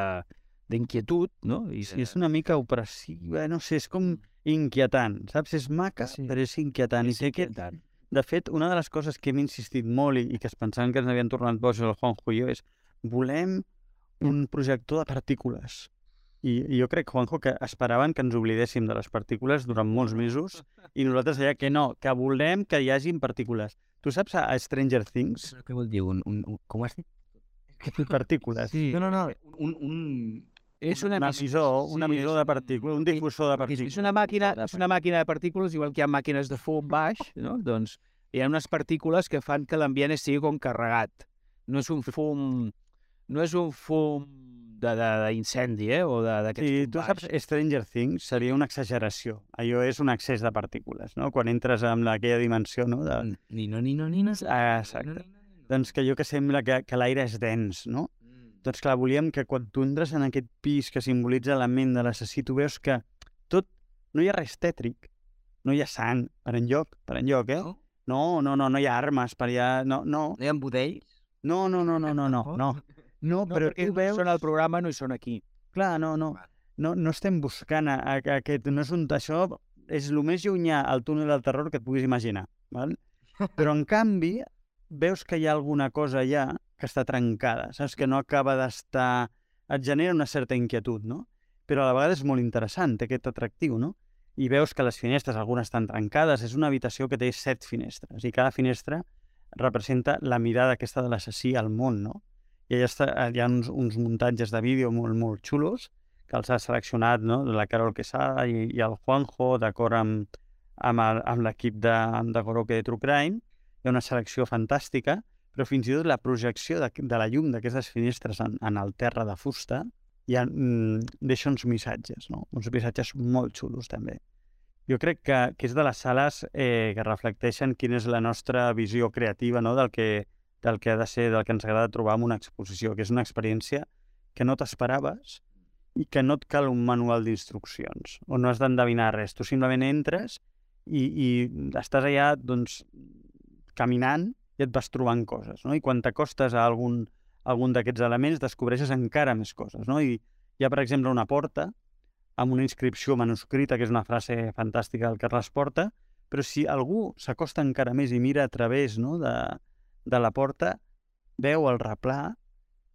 d'inquietud, no? I Sí, és una mica opressiva, no sé, és com inquietant, saps? És maca, Sí. però és inquietant. I sé que, inquietant. de fet, una de les coses que hem insistit molt i, i que es pensaven que ens havien tornat bojos el Juanjo i jo és volem un projector de partícules. I, I jo crec, Juanjo, que esperaven que ens oblidéssim de les partícules durant molts mesos i nosaltres deia que no, que volem que hi hagin partícules. Tu saps a Stranger Things? Què vol dir? Un, un, un, com has dit? Partícules. Sí. No, no, no. Un, un... És un una emissor, un sí, emissor és de partícules, un difusor de És, partícules. és una màquina, és una màquina de partícules, igual que hi ha màquines de fum baix, no? Doncs hi ha unes partícules que fan que l'ambient estigui com carregat. No és un fum, no és un fum de- de- d'incendi, eh? O de- d'aquest Sí, fum tu baix. saps, Stranger Things seria una exageració. Allò és un excés de partícules, no? Quan entres en aquella dimensió, no? De... Ni no, ni no, ni no. Ah, exacte. Doncs que allò que sembla que, que l'aire és dens, no? Doncs clar, volíem que quan tu entres en aquest pis que simbolitza la ment de l'assassí, tu veus que tot, no hi ha res tètric, no hi ha sang per enlloc, per enlloc, eh? No? No, no, no, no hi ha armes per allà, no, no, No hi ha budells? no, no, no, no, no, no, no, no, No, però perquè tu veus... són al programa, no hi són aquí. Clar, no, no, no, no estem buscant a, a, a aquest, no és un, això és el més llunyà al túnel del terror que et puguis imaginar, val? Però en canvi veus que hi ha alguna cosa allà que està trencada, saps? Que no acaba d'estar... Et genera una certa inquietud, no? però a la vegada és molt interessant, té aquest atractiu, no? I veus que les finestres, algunes estan trencades, és una habitació que té set finestres, i cada finestra representa la mirada aquesta de l'assassí al món, no? I allà està, hi ha uns, uns muntatges de vídeo molt, molt xulos, que els ha seleccionat, no?, la Carol Quesada i, i el Juanjo, d'acord amb, amb, el, amb l'equip de, de Goroke de True Crime. Hi ha una selecció fantàstica, però fins i tot la projecció de, de la llum d'aquestes finestres en, en el terra de fusta ja mm, deixa uns missatges, no? Uns missatges molt xulos, també. Jo crec que, que és de les sales eh, que reflecteixen quina és la nostra visió creativa, no?, del que, del que ha de ser, del que ens agrada trobar en una exposició, que és una experiència que no t'esperaves i que no et cal un manual d'instruccions, on no has d'endevinar res. Tu simplement entres i, i estàs allà, doncs, caminant i et vas trobant coses, no? I quan t'acostes a algun, algun d'aquests elements descobreixes encara més coses, no? I hi ha, per exemple, una porta amb una inscripció manuscrita, que és una frase fantàstica del Carles Porta, però si algú s'acosta encara més i mira a través, no?, de, de la porta, veu el replà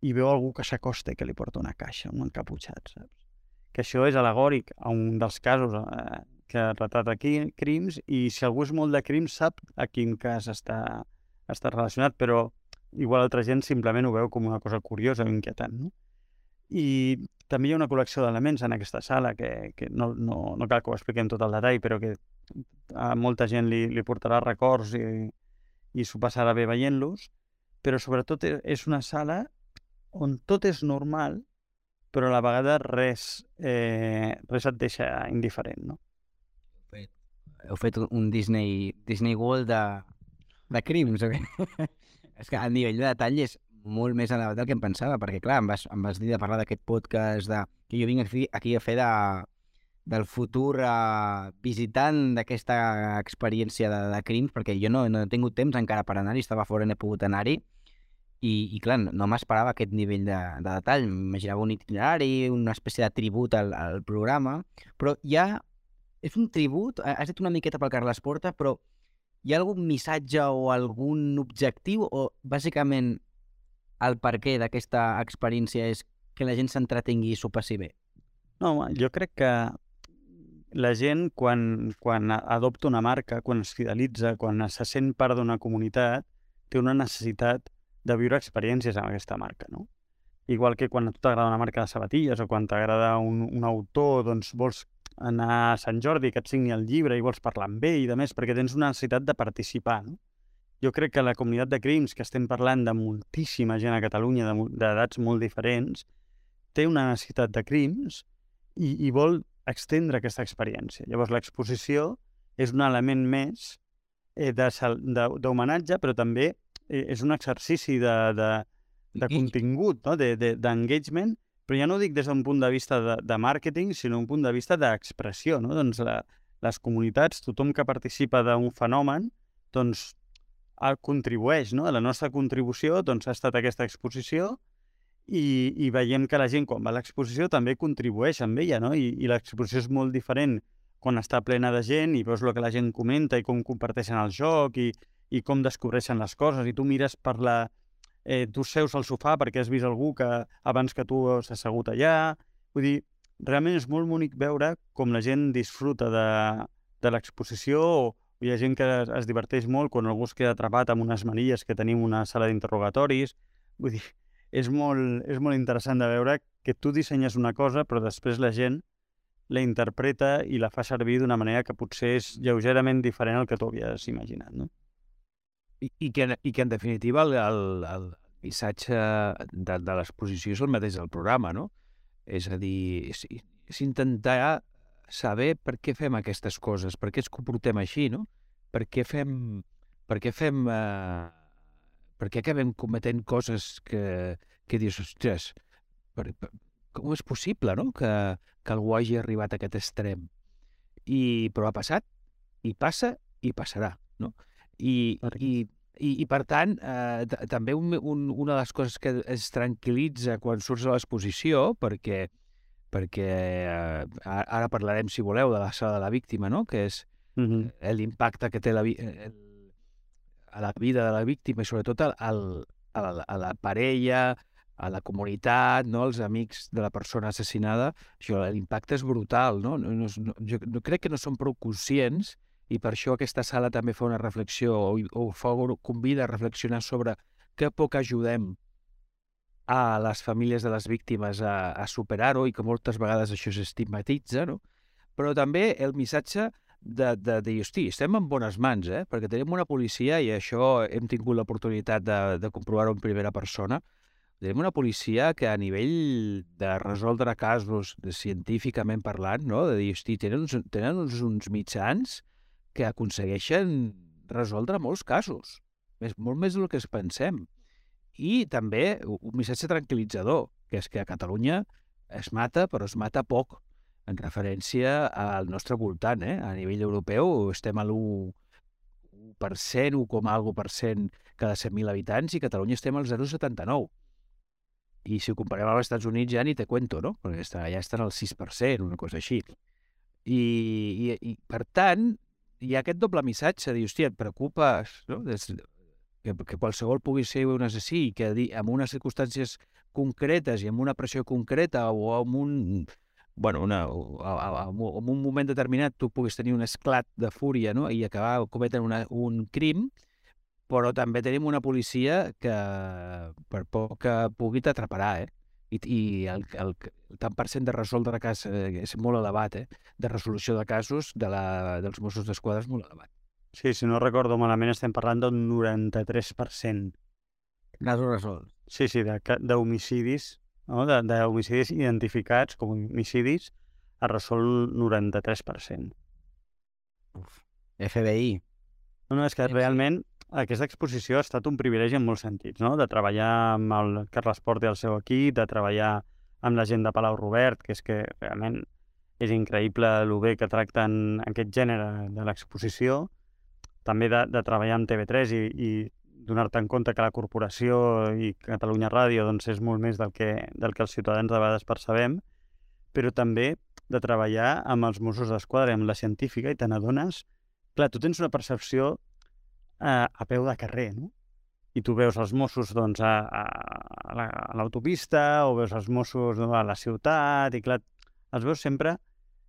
i veu algú que s'acosta i que li porta una caixa, un encaputxat, saps? Que això és al·legòric a un dels casos eh, que retrata aquí, crims, i si algú és molt de crims sap a quin cas està, està relacionat, però igual altra gent simplement ho veu com una cosa curiosa o inquietant, no? I també hi ha una col·lecció d'elements en aquesta sala que, que no, no, no cal que ho expliquem tot el detall, però que a molta gent li, li portarà records i, i s'ho passarà bé veient-los, però sobretot és una sala on tot és normal, però a la vegada res, eh, res et deixa indiferent, no? Heu fet un Disney, Disney World de, de crims, o què? És que a nivell de detall és molt més elevat del que em pensava, perquè clar, em vas, em vas dir de parlar d'aquest podcast de, que jo vinc aquí, aquí a fer de, del futur uh, visitant d'aquesta experiència de, de crims, perquè jo no, no he tingut temps encara per anar-hi, estava fora, no he pogut anar-hi, i, i clar, no m'esperava aquest nivell de, de detall, m'imaginava un itinerari, una espècie de tribut al, al programa, però ja és un tribut, has dit una miqueta pel Carles Porta, però hi ha algun missatge o algun objectiu, o bàsicament el perquè d'aquesta experiència és que la gent s'entretingui i s'ho passi bé? No, jo crec que la gent, quan, quan adopta una marca, quan es fidelitza, quan se sent part d'una comunitat, té una necessitat de viure experiències amb aquesta marca, no? Igual que quan a tu t'agrada una marca de sabatilles o quan t'agrada un, un autor, doncs vols anar a Sant Jordi que et signi el llibre i vols parlar amb ell i de més, perquè tens una necessitat de participar, no? Jo crec que la comunitat de crims, que estem parlant de moltíssima gent a Catalunya, d'edats molt diferents, té una necessitat de crims i, i vol extendre aquesta experiència. Llavors, l'exposició és un element més eh, d'homenatge, però també eh, és un exercici de, de, de contingut, no? d'engagement, de, de però ja no ho dic des d'un punt de vista de, de màrqueting, sinó un punt de vista d'expressió, no? Doncs la, les comunitats, tothom que participa d'un fenomen, doncs contribueix, no? La nostra contribució doncs, ha estat aquesta exposició i, i veiem que la gent, quan va a l'exposició, també contribueix amb ella, no? I, i l'exposició és molt diferent quan està plena de gent i veus el que la gent comenta i com comparteixen el joc i, i com descobreixen les coses, i tu mires per la... Eh, tu seus al sofà perquè has vist algú que abans que tu s'ha assegut allà. Vull dir, realment és molt bonic veure com la gent disfruta de, de l'exposició, o hi ha gent que es, es diverteix molt quan algú es queda atrapat amb unes manilles que tenim una sala d'interrogatoris. Vull dir, és molt, és molt interessant de veure que tu dissenyes una cosa però després la gent la interpreta i la fa servir d'una manera que potser és lleugerament diferent al que tu havies imaginat, no? I, i, que, i que en definitiva el, el, el missatge de, de l'exposició és el mateix del programa, no? És a dir, és, és intentar saber per què fem aquestes coses, per què ens comportem així, no? Per què fem... Per què fem... Eh, per què acabem cometent coses que, que dius, ostres, per, per, com és possible, no?, que, que algú hagi arribat a aquest extrem? I, però ha passat, i passa, i passarà, no? I, i, i, i per tant, eh, també un, un, una de les coses que es tranquil·litza quan surts a l'exposició, perquè, perquè eh, ara parlarem, si voleu, de la sala de la víctima, no?, que és uh-huh. l'impacte que té la, el, a la vida de la víctima i sobretot al, al, a, la, a la parella, a la comunitat, no? Els amics de la persona assassinada, això, l'impacte és brutal, no? No, no, no, jo no, crec que no som prou conscients i per això aquesta sala també fa una reflexió o, o fa, convida a reflexionar sobre que poc ajudem a les famílies de les víctimes a, a superar-ho i que moltes vegades això s'estigmatitza, no? Però també el missatge de, de, de dir, hosti, estem en bones mans, eh? Perquè tenim una policia, i això hem tingut l'oportunitat de, de comprovar-ho en primera persona, tenim una policia que a nivell de resoldre casos de, científicament parlant, no? De dir, hosti, tenen, uns, tenen uns, uns mitjans que aconsegueixen resoldre molts casos, més, molt més del que es pensem. I també un missatge tranquil·litzador, que és que a Catalunya es mata, però es mata poc, en referència al nostre voltant, eh? A nivell europeu estem a l'u per cent, u coma alguna per cent cada cent mil habitants, i Catalunya estem al zero coma setanta-nou. I si ho comparem amb els Estats Units ja ni te cuento, no? Perquè està, ja estan al sis per cent, una cosa així. I, i, i per tant, hi ha aquest doble missatge, de dir, hòstia, et preocupes, no? Des, que, que qualsevol pugui ser un assassí, que en unes circumstàncies concretes i amb una pressió concreta o amb un... bueno, una, en un moment determinat tu puguis tenir un esclat de fúria, no? I acabar cometent una, un crim, però també tenim una policia que per poc que pugui t'atraparà, eh? I, i el, el, el tant per cent de resoldre cas eh, és molt elevat, eh? De resolució de casos de la, dels Mossos d'Esquadra és molt elevat. Sí, si no recordo malament estem parlant d'un noranta-tres per cent. Casos resolts. Sí, sí, d'homicidis, no? D'homicidis identificats com homicidis es resol noranta-tres per cent. Uf. F B I. No, no, és que realment aquesta exposició ha estat un privilegi en molts sentits, no? De treballar amb el Carles Porta i el seu equip, de treballar amb la gent de Palau Robert, que és que realment és increïble el bé que tracten aquest gènere de l'exposició, també de, de treballar amb T V tres i, i donar-te en compte que la corporació i Catalunya Ràdio doncs, és molt més del que, del que els ciutadans de vegades percebem, però també de treballar amb els Mossos d'Esquadra, amb la científica, i te n'adones... Clar, tu tens una percepció a, a peu de carrer, no? I tu veus els Mossos doncs, a, a, a l'autopista, o veus els Mossos no, a la ciutat, i clar, els veus sempre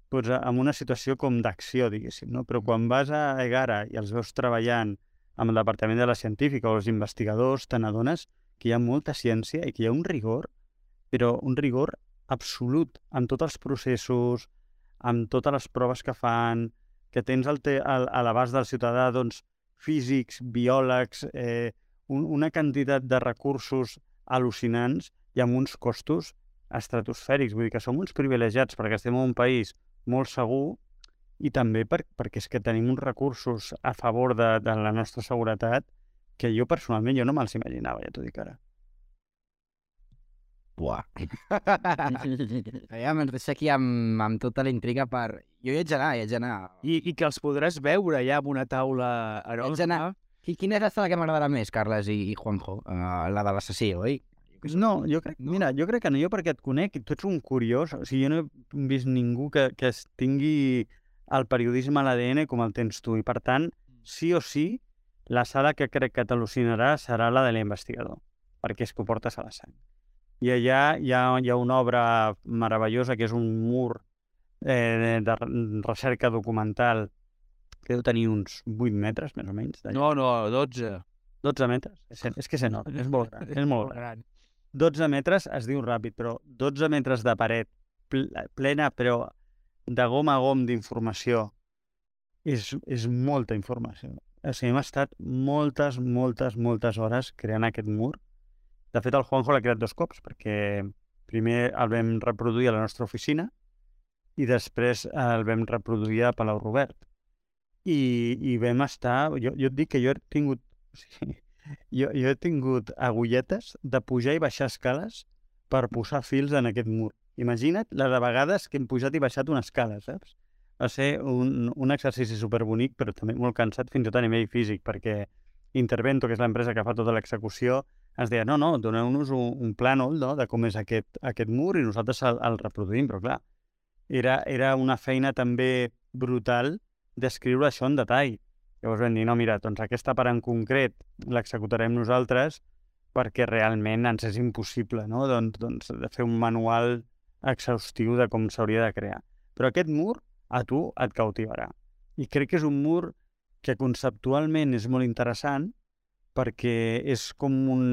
doncs, en una situació com d'acció, diguéssim, no? Però quan vas a Egara i els veus treballant amb el Departament de la Científica o els investigadors, te n'adones que hi ha molta ciència i que hi ha un rigor, però un rigor absolut en tots els processos, amb totes les proves que fan, que tens al te, al, a l'abast del ciutadà doncs, físics, biòlegs, eh, un, una quantitat de recursos al·lucinants i amb uns costos estratosfèrics. Vull dir que som uns privilegiats perquè estem en un país molt segur i també per, perquè és que tenim uns recursos a favor de, de la nostra seguretat que jo personalment jo no me'ls imaginava, ja t'ho dic ara. Buah. Ja me'n deixa aquí amb, amb tota la intriga per... Jo hi haig d'anar, hi haig d'anar. I, I que els podràs veure ja amb una taula enorme. Quina és la sala que m'agradarà més, Carles i, i Juanjo? Uh, la de l'assassí, oi? No, jo crec, no? Mira, jo crec que no, jo perquè et conec, tu ets un curiós, o sigui, jo no he vist ningú que, que es tingui el periodisme a l'A D N com el tens tu, i per tant, sí o sí, la sala que crec que t'al·lucinarà serà la de l'investigador, perquè és que ho portes a la sang. I allà hi ha, hi ha una obra meravellosa que és un mur eh, de recerca documental que deu tenir uns vuit metres, més o menys. No, no, dotze. dotze metres? És, és que és enorme, és molt gran. És molt gran. dotze metres es diu ràpid, però dotze metres de paret plena, però de gom a gom d'informació. És, és molta informació. O sigui, hem estat moltes, moltes, moltes hores creant aquest mur. De fet, el Juanjo l'ha creat dos cops, perquè primer el vam reproduir a la nostra oficina i després el vam reproduir a Palau Robert. I, i vam estar... Jo, jo et dic que jo he tingut... O sigui, jo, jo he tingut agulletes de pujar i baixar escales per posar fils en aquest mur. Imagina't la de vegades que hem pujat i baixat una escala, saps? Va ser un, un exercici superbonic, però també molt cansat fins i tot a nivell físic, perquè Intervento, que és l'empresa que fa tota l'execució, ens deia, no, no, doneu-nos un, un plànol, no?, de com és aquest, aquest mur i nosaltres el, el reproduïm, però clar, era, era una feina també brutal d'escriure això en detall. Llavors vam dir, no, mira, doncs aquesta part en concret l'executarem nosaltres, perquè realment ens és impossible, no? doncs, doncs, de fer un manual exhaustiu de com s'hauria de crear. Però aquest mur a tu et cautivarà. I crec que és un mur que conceptualment és molt interessant perquè és com un...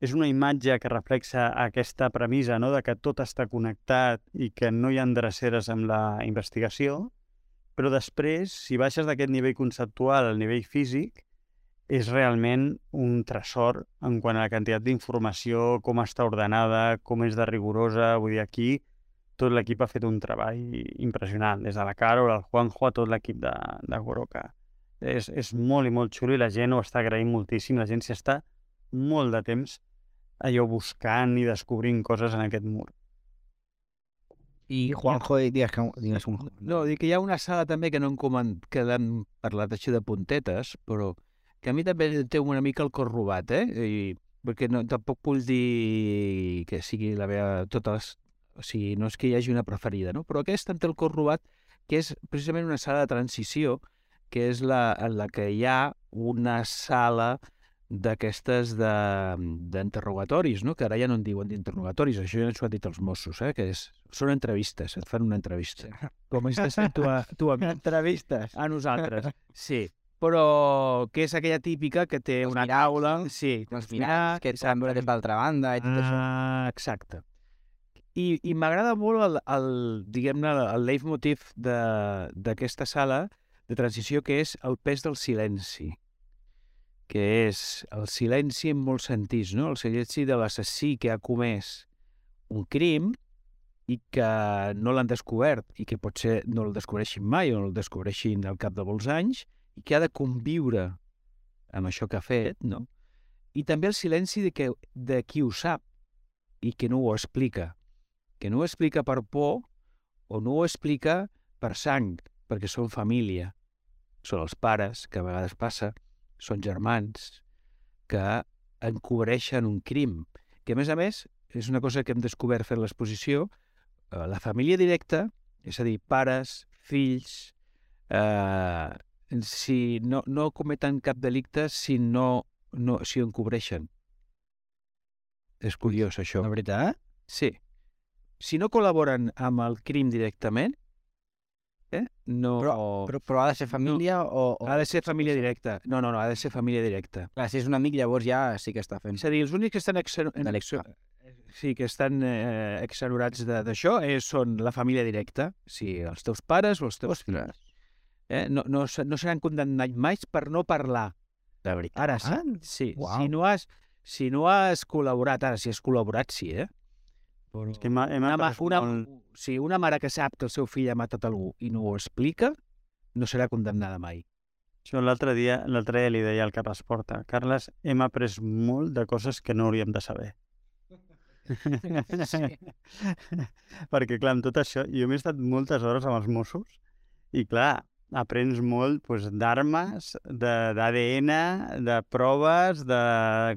és una imatge que reflexa aquesta premissa, no?, de que tot està connectat i que no hi ha dreceres amb la investigació, però després, si baixes d'aquest nivell conceptual al nivell físic, és realment un tresor en quant a la quantitat d'informació, com està ordenada, com és de rigorosa. Vull dir, aquí tot l'equip ha fet un treball impressionant, des de la Carol, el Juanjo, a tot l'equip de, de Goroka. És, és molt i molt xulo i la gent ho està agraint moltíssim. La gent s'hi està molt de temps allò buscant i descobrint coses en aquest mur. I Juanjo, digues, que, digues un... No, dic que hi ha una sala també que no hem, coment... que hem parlat així de puntetes, però que a mi també té una mica el cor robat, eh? I... perquè no, tampoc vull dir que sigui la meva... totes... O sigui, no és que hi hagi una preferida, no? Però aquesta em té el cor robat, que és precisament una sala de transició, que és la, en la que hi ha una sala d'aquestes d'interrogatoris, no? Que ara ja no en diuen d'interrogatoris, això ja ens ho han dit els Mossos, eh? Que és, són entrevistes, et fan una entrevista. Com estàs fent tu a, tu a mi? Entrevistes. A nosaltres, sí. Però que és aquella típica que té Els una miralls, taula... no? Sí, Els miralls, que et saben veure des d'altra banda i tot això. Ah, exacte. I, i m'agrada molt el, el diguem-ne, el leitmotiv d'aquesta sala de transició, que és el pes del silenci, que és el silenci en molts sentits, no? El silenci de l'assassí que ha comès un crim i que no l'han descobert i que potser no el descobreixin mai o no el descobreixin al cap de molts anys i que ha de conviure amb això que ha fet, no? I també el silenci de, que, de qui ho sap i que no ho explica. Que no ho explica per por o no ho explica per sang, perquè són família. Són els pares, que a vegades passa, són germans, que encobreixen un crim. Que, a més a més, és una cosa que hem descobert fent l'exposició, eh, la família directa, és a dir, pares, fills, eh, si no, no cometen cap delicte si no, no si ho encobreixen. És curiós, això. La veritat? Sí. Si no col·laboren amb el crim directament, eh? no... Però, però, però ha de ser família no, o, o... Ha de ser família directa. No, no, no, ha de ser família directa. Clar, si és un amic, llavors ja sí que està fent. És a dir, els únics que estan exer... Delicte. sí, que estan eh, exonerats d'això eh, són la família directa. Sí, els teus pares o els teus fills. Eh? No, no, no seran condemnats mai per no parlar. De veritat? Ara sí. Ah, sí. Uau. Si, no has, si no has col·laborat, ara si has col·laborat, sí, eh? Però... És que hem, hem una, ma, una, molt... sí, una mare que sap que el seu fill ha matat algú i no ho explica, no serà condemnada mai. Això l'altre dia, l'altre dia li deia al cap esporta, Carles, hem après molt de coses que no hauríem de saber. Sí. Perquè, clar, amb tot això, jo m'he estat moltes hores amb els Mossos i, clar, aprens molt doncs, d'armes, d'A D N, de proves, de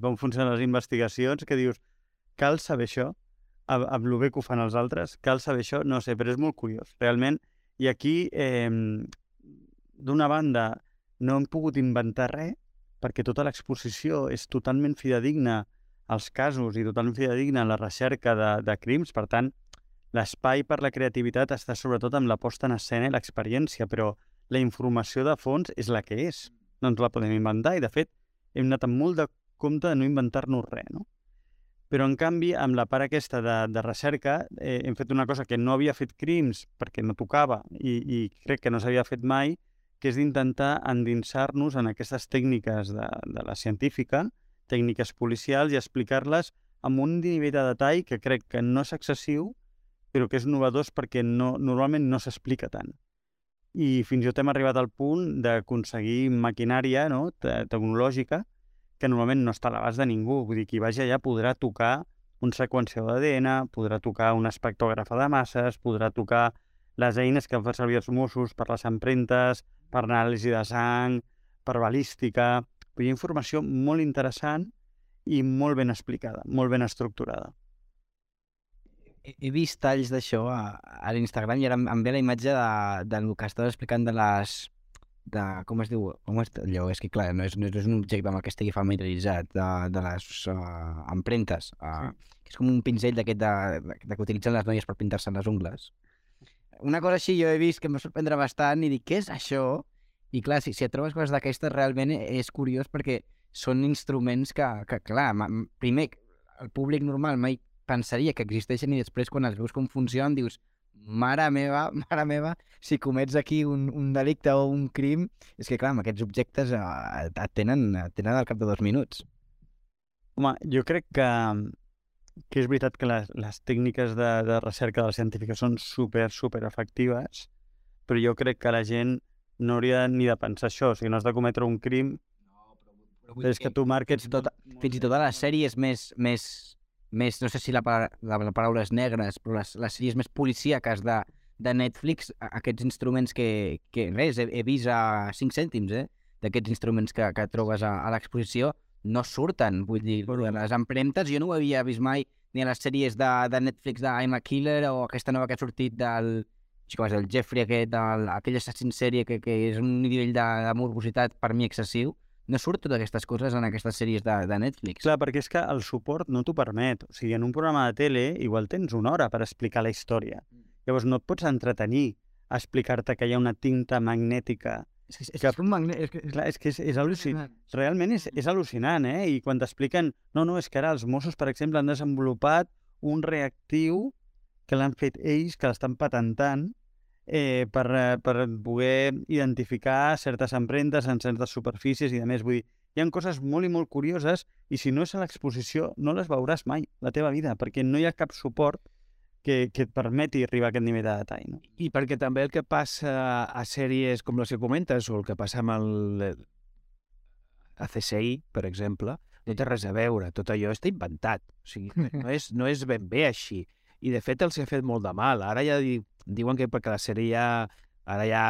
com funcionen les investigacions, que dius, cal saber això, amb el bé que ho fan els altres, cal saber això, no sé, però és molt curiós, realment. I aquí, eh, d'una banda, no hem pogut inventar res, perquè tota l'exposició és totalment fidedigna als casos i totalment fidedigna a la recerca de, de crims, per tant, l'espai per la creativitat està sobretot amb la posta en escena i l'experiència, però la informació de fons és la que és, no ens la podem inventar, i de fet hem anat amb molt de compte de no inventar-nos res, no? Però, en canvi, amb la part aquesta de, de recerca, eh, hem fet una cosa que no havia fet crims perquè no tocava i, i crec que no s'havia fet mai, que és d'intentar endinsar-nos en aquestes tècniques de, de la científica, tècniques policials, i explicar-les amb un nivell de detall que crec que no és excessiu, però que és novedós perquè no, normalment no s'explica tant. I fins i tot hem arribat al punt d'aconseguir maquinària, no?, te tecnològica, que normalment no està a l'abast de ningú. Vull dir, qui vagi allà podrà tocar un seqüenciador d'A D N, podrà tocar una espectrògrafa de masses, podrà tocar les eines que fan servir els Mossos per les empremtes, per anàlisi de sang, per balística. Hi ha informació molt interessant i molt ben explicada, molt ben estructurada. He, he vist talls d'això a, a l'Instagram i ara em, em ve la imatge de, del que estaves explicant de les de com es diu, com és allò, és que clar, no és, no és un objecte amb el que estigui familiaritzat, de, de les uh, empremtes, uh, sí. Que és com un pinzell d'aquest de, de, de que utilitzen les noies per pintar-se les ungles. Una cosa així jo he vist que em va sorprendre bastant i dic, què és això? I clar, si, si et trobes coses d'aquestes realment és curiós perquè són instruments que, que clar, primer, el públic normal mai pensaria que existeixen i després quan els veus com funcionen dius mare meva, mare meva, si comets aquí un, un delicte o un crim, és que clar, amb aquests objectes eh, et, tenen, et tenen al cap de dos minuts. Home, jo crec que, que és veritat que les, les tècniques de, de recerca de la científica són super, super efectives, però jo crec que la gent no hauria ni de pensar això, o sigui, no has de cometre un crim, no, però, però és que, que tu marques... Fins i tot, fins i tot a les sèries més... més... més, no sé si la, la, la paraula és negres, però les, les sèries més policíaques de, de Netflix, aquests instruments que, que res, he, he vist a cinc cèntims, eh, d'aquests instruments que, que trobes a, a l'exposició, no surten, vull dir, bueno, les empremtes jo no ho havia vist mai, ni a les sèries de, de Netflix de I'm a Killer o aquesta nova que ha sortit del, com és, el Jeffrey aquest, el, aquell assassí en sèrie que, que és un nivell de, de morbositat per mi excessiu. No surt totes aquestes coses en aquestes sèries de, de Netflix. Clar, perquè és que el suport no t'ho permet. O sigui, en un programa de tele igual tens una hora per explicar la història. Llavors no et pots entretenir a explicar-te que hi ha una tinta magnètica. És que és, que... és un magnet... És que és, clar, és, que és, és al·lucinant. Realment és, és al·lucinant, eh? I quan t'expliquen... No, no, és que ara els Mossos, per exemple, han desenvolupat un reactiu que l'han fet ells, que l'estan patentant, Eh, per, per poder identificar certes empremtes en certes superfícies i a més, vull dir, hi ha coses molt i molt curioses i si no és a l'exposició no les veuràs mai la teva vida, perquè no hi ha cap suport que, que et permeti arribar a aquest nivell de detall. No? I perquè també el que passa a sèries com les que comentes o el que passa amb el a C S I, per exemple, no té res a veure, tot allò està inventat, o sigui, no és, no és ben bé així. I de fet els ha fet molt de mal. Ara ja di, diuen que perquè la sèrie ja, ara ja,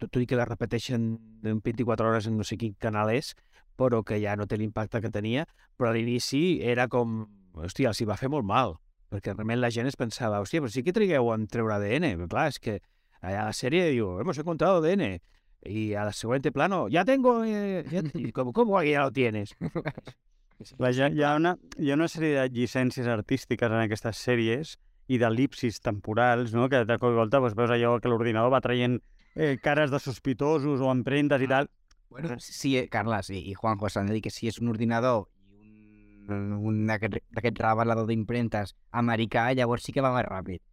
tot i que la repeteixen en vint-i-quatre hores en no sé quin canal és, però que ja no té l'impacte que tenia, però a l'inici era com, hòstia, els hi va fer molt mal, perquè realment la gent es pensava, hòstia, però sí que trigueu en treure A D N, però clar, és que allà a la sèrie diu, hemos encontrado A D N, i a la següent plano, ya tengo, eh, ya, ¿cómo, cómo ya lo tienes? Hi ha, hi, ha una, hi ha una sèrie de llicències artístiques en aquestes sèries i d'elipsis temporals, no? Que de cop i volta doncs, veus allò que l'ordinador va traient eh, cares de sospitosos o empremtes i tal. Bueno, sí, Carles i, i Juanjo, s'han de dir que si és un ordinador i un, un d'aquest revelador d'impremtes americà, llavors sí que va més ràpid.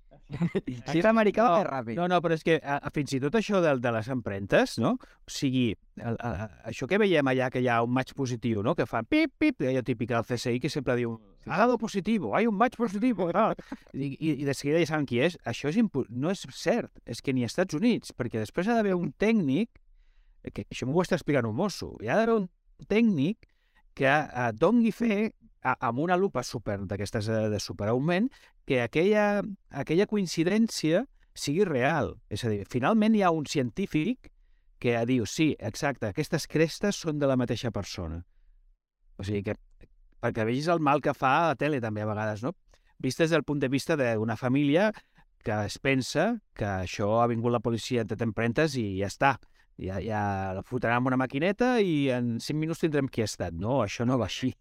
Si és americà, va més ràpid. No, no, però és que a, a, fins i tot això de, de les empremtes, no? O sigui, a, a, això que veiem allà, que hi ha un match positiu, no? Que fan pip, pip, allò típic del C S I, que sempre diu ha dado positivo, hay un match positivo. I, i, i de seguida ja saben qui és. Això és no és cert, és que ni als Estats Units, perquè després ha d'haver un tècnic, que això m'ho està explicant un mosso, hi ha d'haver un tècnic que eh, doni fe a, amb una lupa super d'aquestes de superaugment que aquella, aquella coincidència sigui real. És a dir, finalment hi ha un científic que diu, sí, exacte, aquestes crestes són de la mateixa persona. O sigui que, perquè vegis el mal que fa a la tele també a vegades, no? Vist des del punt de vista d'una família que es pensa que això ha vingut la policia de empremtes i ja està. Ja, ja la fotran amb una maquineta i en cinc minuts tindrem qui ha estat. No, això no va així.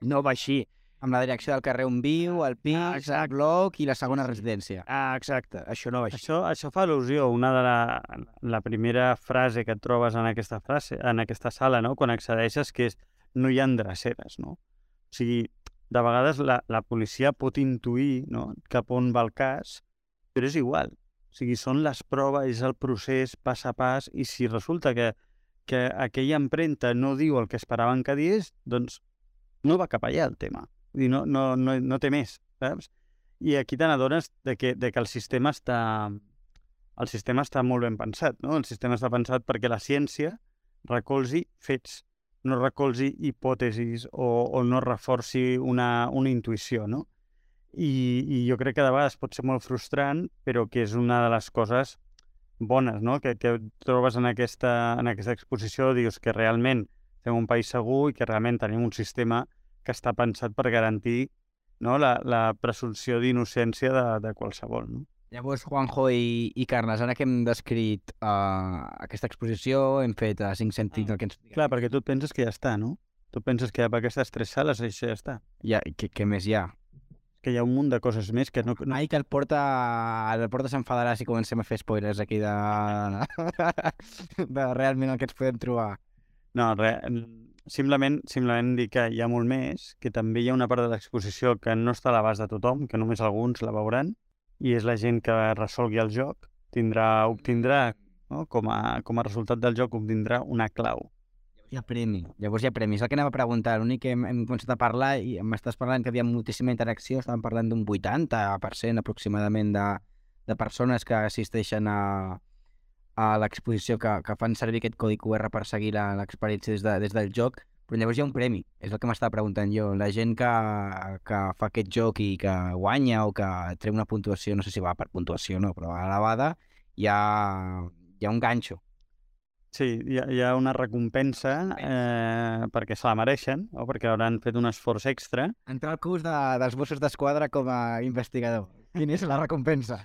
No va així. Amb la direcció del carrer on viu, el pis, ah, el bloc i la segona residència. Ah, exacte. Això no va així. Això, això fa al·lusió. Una de la, la primera frase que et trobes en aquesta frase, en aquesta sala, no? Quan accedeixes, que és no hi ha dreceres, no? O sigui, de vegades la, la policia pot intuir, no?, cap on va el cas, però és igual. O sigui, són les proves, és el procés pas a pas, i si resulta que, que aquella empremta no diu el que esperaven que digués, doncs no va cap allà el tema. Vull dir, no, no, no, no té més, saps? I aquí te n'adones de que, de que el sistema està el sistema està molt ben pensat, no? El sistema està pensat perquè la ciència recolzi fets, no recolzi hipòtesis o, o no reforci una, una intuïció, no? I, I jo crec que de vegades pot ser molt frustrant, però que és una de les coses bones, no?, que, que trobes en aquesta, en aquesta exposició, dius que realment fem un país segur i que realment tenim un sistema que està pensat per garantir, no?, la, la presumpció d'innocència de, de qualsevol, no? Llavors, Juanjo i, i Carles, ara que hem descrit uh, aquesta exposició, hem fet uh, cinc sentits del que ens... Clar, perquè tu et penses que ja està, no? Tu penses que per aquestes tres sales això ja està. Ja, què, què més hi ha? Que hi ha un munt de coses més que no... no... Ai, que el Porta, el Porta s'enfadarà si comencem a fer spoilers aquí de... de realment el que ens podem trobar. No, re, simplement, simplement dir que hi ha molt més, que també hi ha una part de l'exposició que no està a l'abast de tothom, que només alguns la veuran, i és la gent que resolgui el joc, tindrà, obtindrà, no? com, a, com a resultat del joc, obtindrà una clau. Hi ha premi. Llavors hi ha premis. El que anava a preguntar, l'únic que hem, hem començat a parlar i m'estàs parlant que hi havia moltíssima interacció, estàvem parlant d'un vuitanta per cent aproximadament de, de persones que assisteixen a, a l'exposició, que, que fan servir aquest codi Q R per seguir l'experiència des, de, des del joc, però llavors hi ha un premi, és el que m'estava preguntant jo. La gent que, que fa aquest joc i que guanya o que treu una puntuació, no sé si va per puntuació o no, però elevada, hi ha, hi ha un ganxo. Sí, hi ha, hi ha una recompensa eh, perquè se la mereixen o perquè hauran fet un esforç extra. Entrar al curs de, dels Mossos d'Esquadra com a investigador. Quina és la recompensa?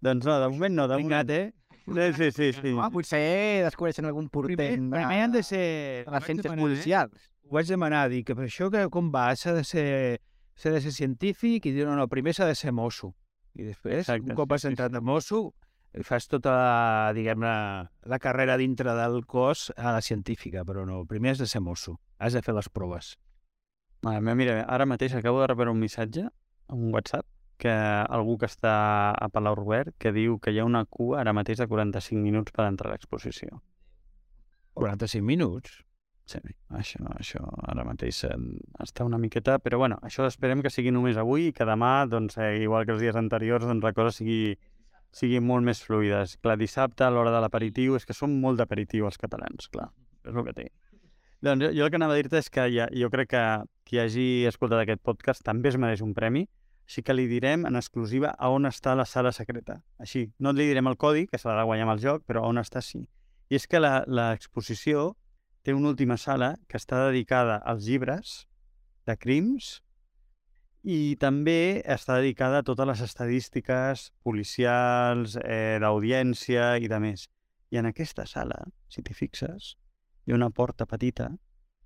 Doncs no, de moment no. De moment... eh? Sí, sí, sí. No, potser descobreixen algun portent Primer, de, primer han de ser... de les ciències policials. Ho vaig demanar, dic, que per això que com va, s'ha de ser, s'ha de ser científic, i dir, no, no, primer s'ha de ser mosso. I després, Exacte, un cop has sí, sí, entrat sí. de mosso, fas tota la, diguem-ne, la carrera dintre del cos a la científica, però no, primer has de ser mosso, has de fer les proves. Ah, mira, ara mateix acabo de rebre un missatge, un WhatsApp, que algú que està a Palau Robert, que diu que hi ha una cua ara mateix de quaranta-cinc minuts per entrar a l'exposició. quaranta-cinc minuts? Sí, això, això ara mateix eh, està una miqueta, però bueno, això esperem que sigui només avui i que demà, doncs, eh, igual que els dies anteriors, doncs la cosa sigui, sigui molt més fluida. Clar, dissabte, a l'hora de l'aperitiu, és que som molt d'aperitiu els catalans, clar, és el que té. Doncs jo, jo el que anava a dir-te és que ja, jo crec que qui hagi escoltat aquest podcast també es mereix un premi, així que li direm en exclusiva a on està la sala secreta. Així, no li direm el codi, que s'ha de guanyar amb el joc, però a on està sí. I és que l'exposició té una última sala que està dedicada als llibres de crims i també està dedicada a totes les estadístiques policials, eh, d'audiència i de més. I en aquesta sala, si t'hi fixes, hi ha una porta petita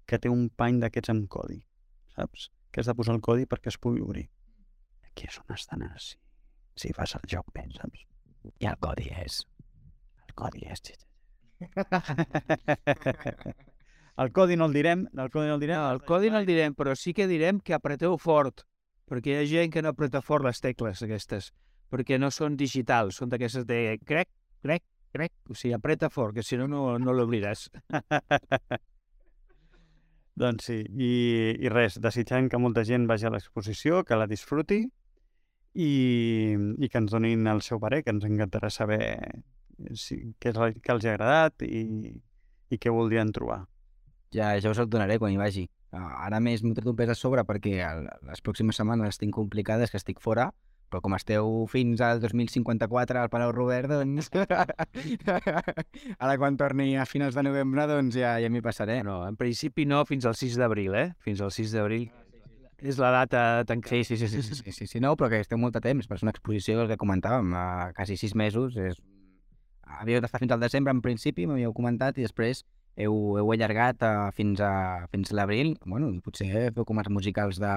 que té un pany d'aquests amb codi, saps? Que has de posar el codi perquè es pugui obrir. Aquí és on estan si, si fas el joc bé, saps? I el codi és... El codi és... El codi no el direm, el codi no el direm. No, el codi no el direm, però sí que direm que apreteu fort, perquè hi ha gent que no apreta fort les tecles aquestes, perquè no són digitals, són d'aquestes de crec, crec, crec, o sigui, apreta fort, que si no, no, no l'obriràs. Doncs sí, i, i res, desitjant que molta gent vagi a l'exposició, que la disfruti i, i que ens donin el seu parer, que ens encantarà saber si, què, és el, què els ha agradat i, i què voldrien trobar. Ja, ja us el donaré quan hi vagi. Ara més m'he tret un pes a sobre perquè el, les pròximes setmanes tinc complicades, que estic fora, però com esteu fins al dos mil cinquanta-quatre al Palau Robert, doncs... ara quan torni a finals de novembre, doncs ja, ja m'hi passaré. No, en principi no, fins al sis d'abril, eh? Fins al sis d'abril. És la data tancada. Sí, sí, sí, sí, sí, sí, sí, sí, no, però que esteu molt de temps, per ser una exposició, el que comentàvem, a quasi sis mesos, és... havíeu d'estar fins al desembre en principi, m'havíeu comentat, i després heu, heu allargat uh, fins a, fins a l'abril. Bueno, potser feu com els musicals de,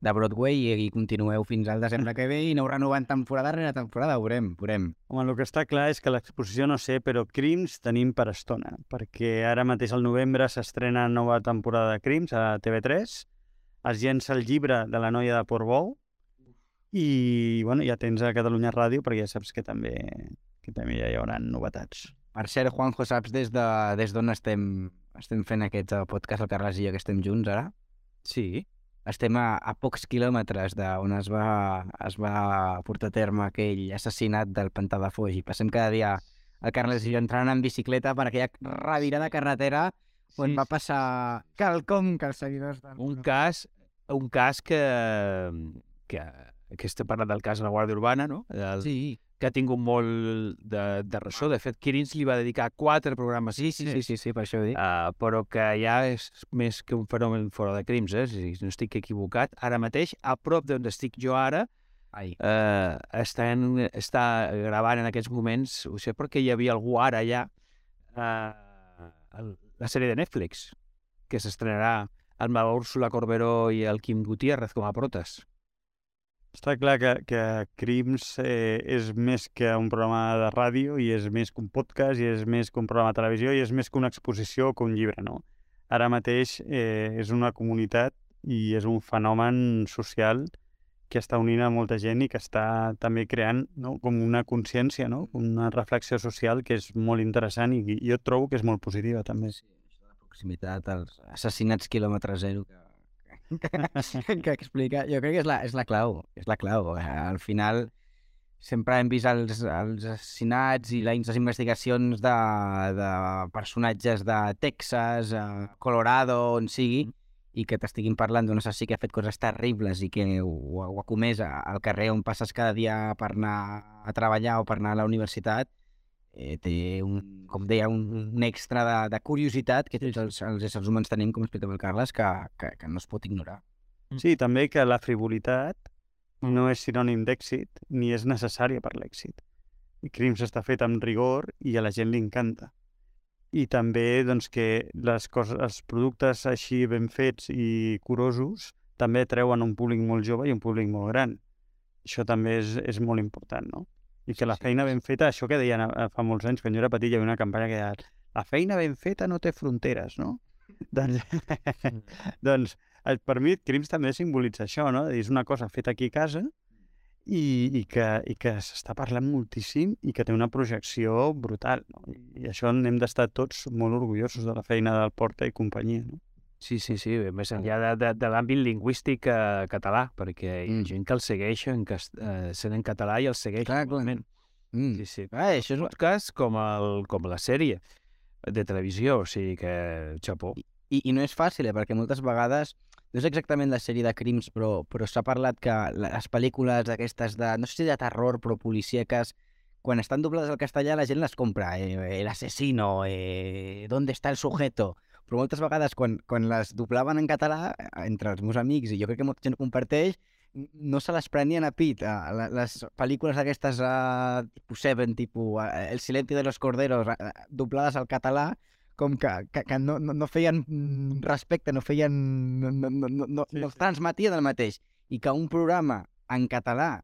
de Broadway i, i continueu fins al desembre que ve i aneu renovant temporada rere temporada, veurem, veurem. Home, el que està clar és que l'exposició no sé, però Crims tenim per estona, perquè ara mateix al novembre s'estrena nova temporada de Crims a T V tres, es llença el llibre de la noia de Portbou i, bueno, ja tens a Catalunya Ràdio perquè ja saps que també, que també ja hi haurà novetats. Per cert, Juanjo, saps des de des d'on estem, estem fent aquest podcast, el Carles i jo, que estem junts ara? Sí. Estem a, a pocs quilòmetres d'on es va, es va portar a terme aquell assassinat del Pantà de Foix. I passem cada dia el Carles i jo entrant en bicicleta per aquella revirada carretera on sí, va passar quelcom que els seguidors... Del... Un cas, un cas que, que, que estem parlant del cas de la Guàrdia Urbana, no? El, sí. Que ha tingut molt de, de ressò. De fet, Quirins li va dedicar quatre programes. Sí, sí, sí, sí, sí, per això ho dic. Uh, però que ja és més que un fenomen fora de crims, eh? Si no estic equivocat. Ara mateix, a prop d'on estic jo ara, Ai. eh, estan, està gravant en aquests moments, ho sé perquè hi havia algú ara ja, eh, el- la sèrie de Netflix, que s'estrenarà amb la Úrsula Corberó i el Quim Gutiérrez com a protes. Està clar que, que Crims eh, és més que un programa de ràdio i és més que un podcast i és més que un programa de televisió i és més que una exposició o que un llibre, no? Ara mateix eh, és una comunitat i és un fenomen social que està unint a molta gent i que està també creant, no, com una consciència, no? Una reflexió social que és molt interessant i, i jo trobo que és molt positiva també. Sí, això de la proximitat, els assassinats quilòmetre zero que, que, que explica, jo crec que és la, és la clau, és la clau. Eh, Al final sempre hem vist els, els assassinats i les investigacions de, de personatges de Texas, eh, Colorado, on sigui, i que t'estiguin parlant d'un assassí que ha fet coses terribles i que ho, ho ha comès a- al carrer on passes cada dia per anar a treballar o per anar a la universitat, eh, té, un, com deia, un, un extra de, de curiositat que tots els, els éssers humans tenim, com explicava el Carles, que, que, que no es pot ignorar. Sí, també que la frivolitat no és sinònim d'èxit ni és necessària per l'èxit. I Crims està fet amb rigor i a la gent li encanta. I també doncs, que les coses, els productes així ben fets i curosos també atreuen un públic molt jove i un públic molt gran. Això també és, és molt important, no? I que la Sí, feina ben feta, això que deien eh, fa molts anys, quan jo era petit, hi havia una campanya que deia la feina ben feta no té fronteres, no? doncs, doncs eh, per mi Crims també simbolitza això, no? És una cosa feta aquí a casa i, i que, i que s'està parlant moltíssim i que té una projecció brutal, no? I, i això n'hem d'estar tots molt orgullosos de la feina del Porta i companyia, no? Sí, sí, sí, més enllà de, de, de l'àmbit lingüístic eh, català, perquè hi ha Mm. gent que el segueix en, cas- eh, sent en català i el segueix. Clar, clar. igualment. Mm. Sí, sí. Ah, això és... Podcast com, el, com la sèrie de televisió, o sigui que xapó. I, I no és fàcil, eh? Perquè moltes vegades, no és exactament la sèrie de crims, però, però s'ha parlat que les pel·lícules aquestes de, no sé si de terror, però policíaques, quan estan doblades al castellà la gent les compra. Eh, el asesino, eh, ¿dónde está el sujeto? Però moltes vegades quan, quan les doblaven en català, eh, entre els meus amics, i jo crec que molta gent ho comparteix, no se les prenien a pit. Eh, les pel·lícules aquestes, eh, tipus Seven, tipus eh, El silencio de los corderos, eh, doblades al català, com que, que, que no, no, no feien mm, respecte, no feien... no, no, no, no, no, Sí, no sí. transmetien el mateix. I que un programa en català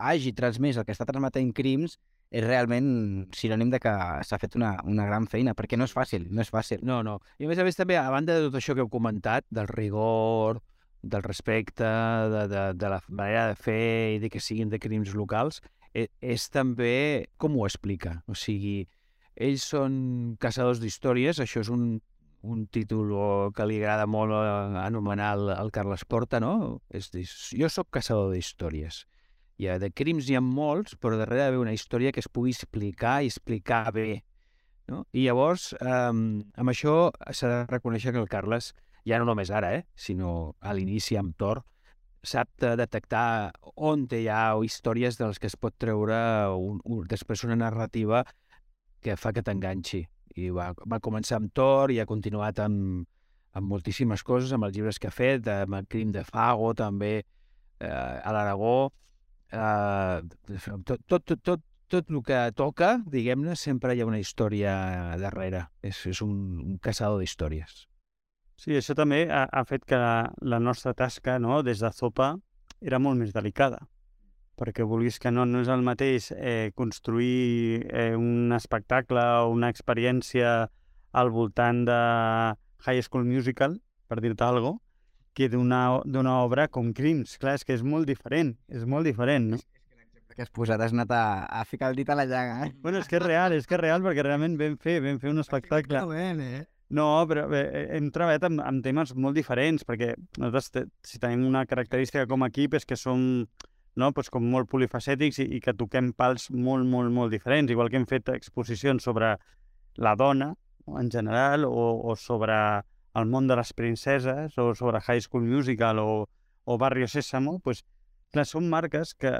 hagi transmès el que està transmetent Crims és realment sinònim de que s'ha fet una, una gran feina, perquè no és fàcil, no és fàcil. No, no. I a més a més també, a banda de tot això que heu comentat, del rigor, del respecte, de, de, de la manera de fer i de que siguin de crims locals, és, és també com ho explica. O sigui, ells són caçadors d'històries, això és un, un títol que li agrada molt eh, anomenar al, al Carles Porta, no? És dir, jo sóc caçador d'històries. I de crims hi ha molts, però darrere hi ha una història que es pugui explicar i explicar bé. No? I llavors, eh, amb això s'ha de reconèixer que el Carles, ja no només ara, eh, sinó a l'inici amb Tor, sap de detectar on hi ha històries de les que es pot treure un, un, després una narrativa que fa que t'enganxi. I va, va començar amb Tor i ha continuat amb, amb moltíssimes coses, amb els llibres que ha fet, amb el Crim de Fago, també eh, a l'Aragó. Eh, tot, tot, tot, tot, tot el que toca, diguem-ne, sempre hi ha una història darrere. És, és un, un caçador d'històries. Sí, això també ha, ha fet que la, la nostra tasca, no, des de Zopa era molt més delicada, perquè vulguis que no, no és el mateix eh, construir eh, un espectacle o una experiència al voltant de High School Musical, per dir-te alguna cosa, que d'una d'una obra com Crims. Clar, és que és molt diferent, és molt diferent, no? Que has posat, has anat a, a ficar el dit a la llaga. Eh? Bueno, és que és real, és que és real, perquè realment vam fer, vam fer un espectacle. Ben, eh? No, però bé, hem treballat amb, amb temes molt diferents, perquè nosaltres, te, si tenim una característica com a equip, és que som, no, doncs com molt polifacètics i, i que toquem pals molt, molt, molt diferents, igual que hem fet exposicions sobre la dona, no, en general, o, o sobre el món de les princeses, o sobre High School Musical, o, o Barrio Sésamo, doncs, clar, són marques que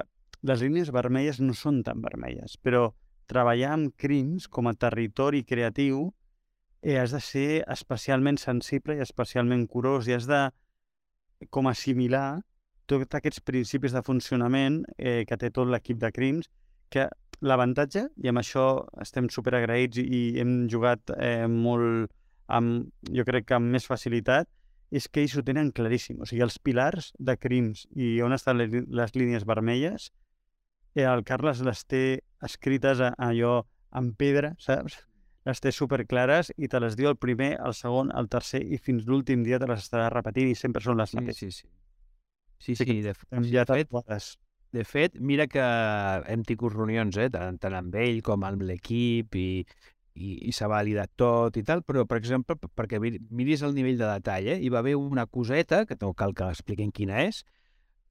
les línies vermelles no són tan vermelles, però treballar amb Crims com a territori creatiu eh, has de ser especialment sensible i especialment curós i has de com assimilar tots aquests principis de funcionament eh, que té tot l'equip de Crims, que l'avantatge, i amb això estem superagraïts i, i hem jugat eh, molt, amb, jo crec que amb més facilitat, és que ells ho tenen claríssim. O sigui, els pilars de Crims i on estan les, les línies vermelles, eh, el Carles les té escrites a, a allò en pedra, saps? Les té superclares i te les diu el primer, el segon, el tercer i fins l'últim dia te les estarà repetint i sempre són les Sí, mateixes. sí, sí. Sí, sí, de, Hem de, ja fet, tatuades. de fet, mira que hem tingut reunions, eh, tant, tant amb ell com amb l'equip i, i, i s'ha validat tot i tal, però, per exemple, p- perquè mir- miris el nivell de detall, eh, hi va haver una coseta, que no cal que l'expliquem quina és,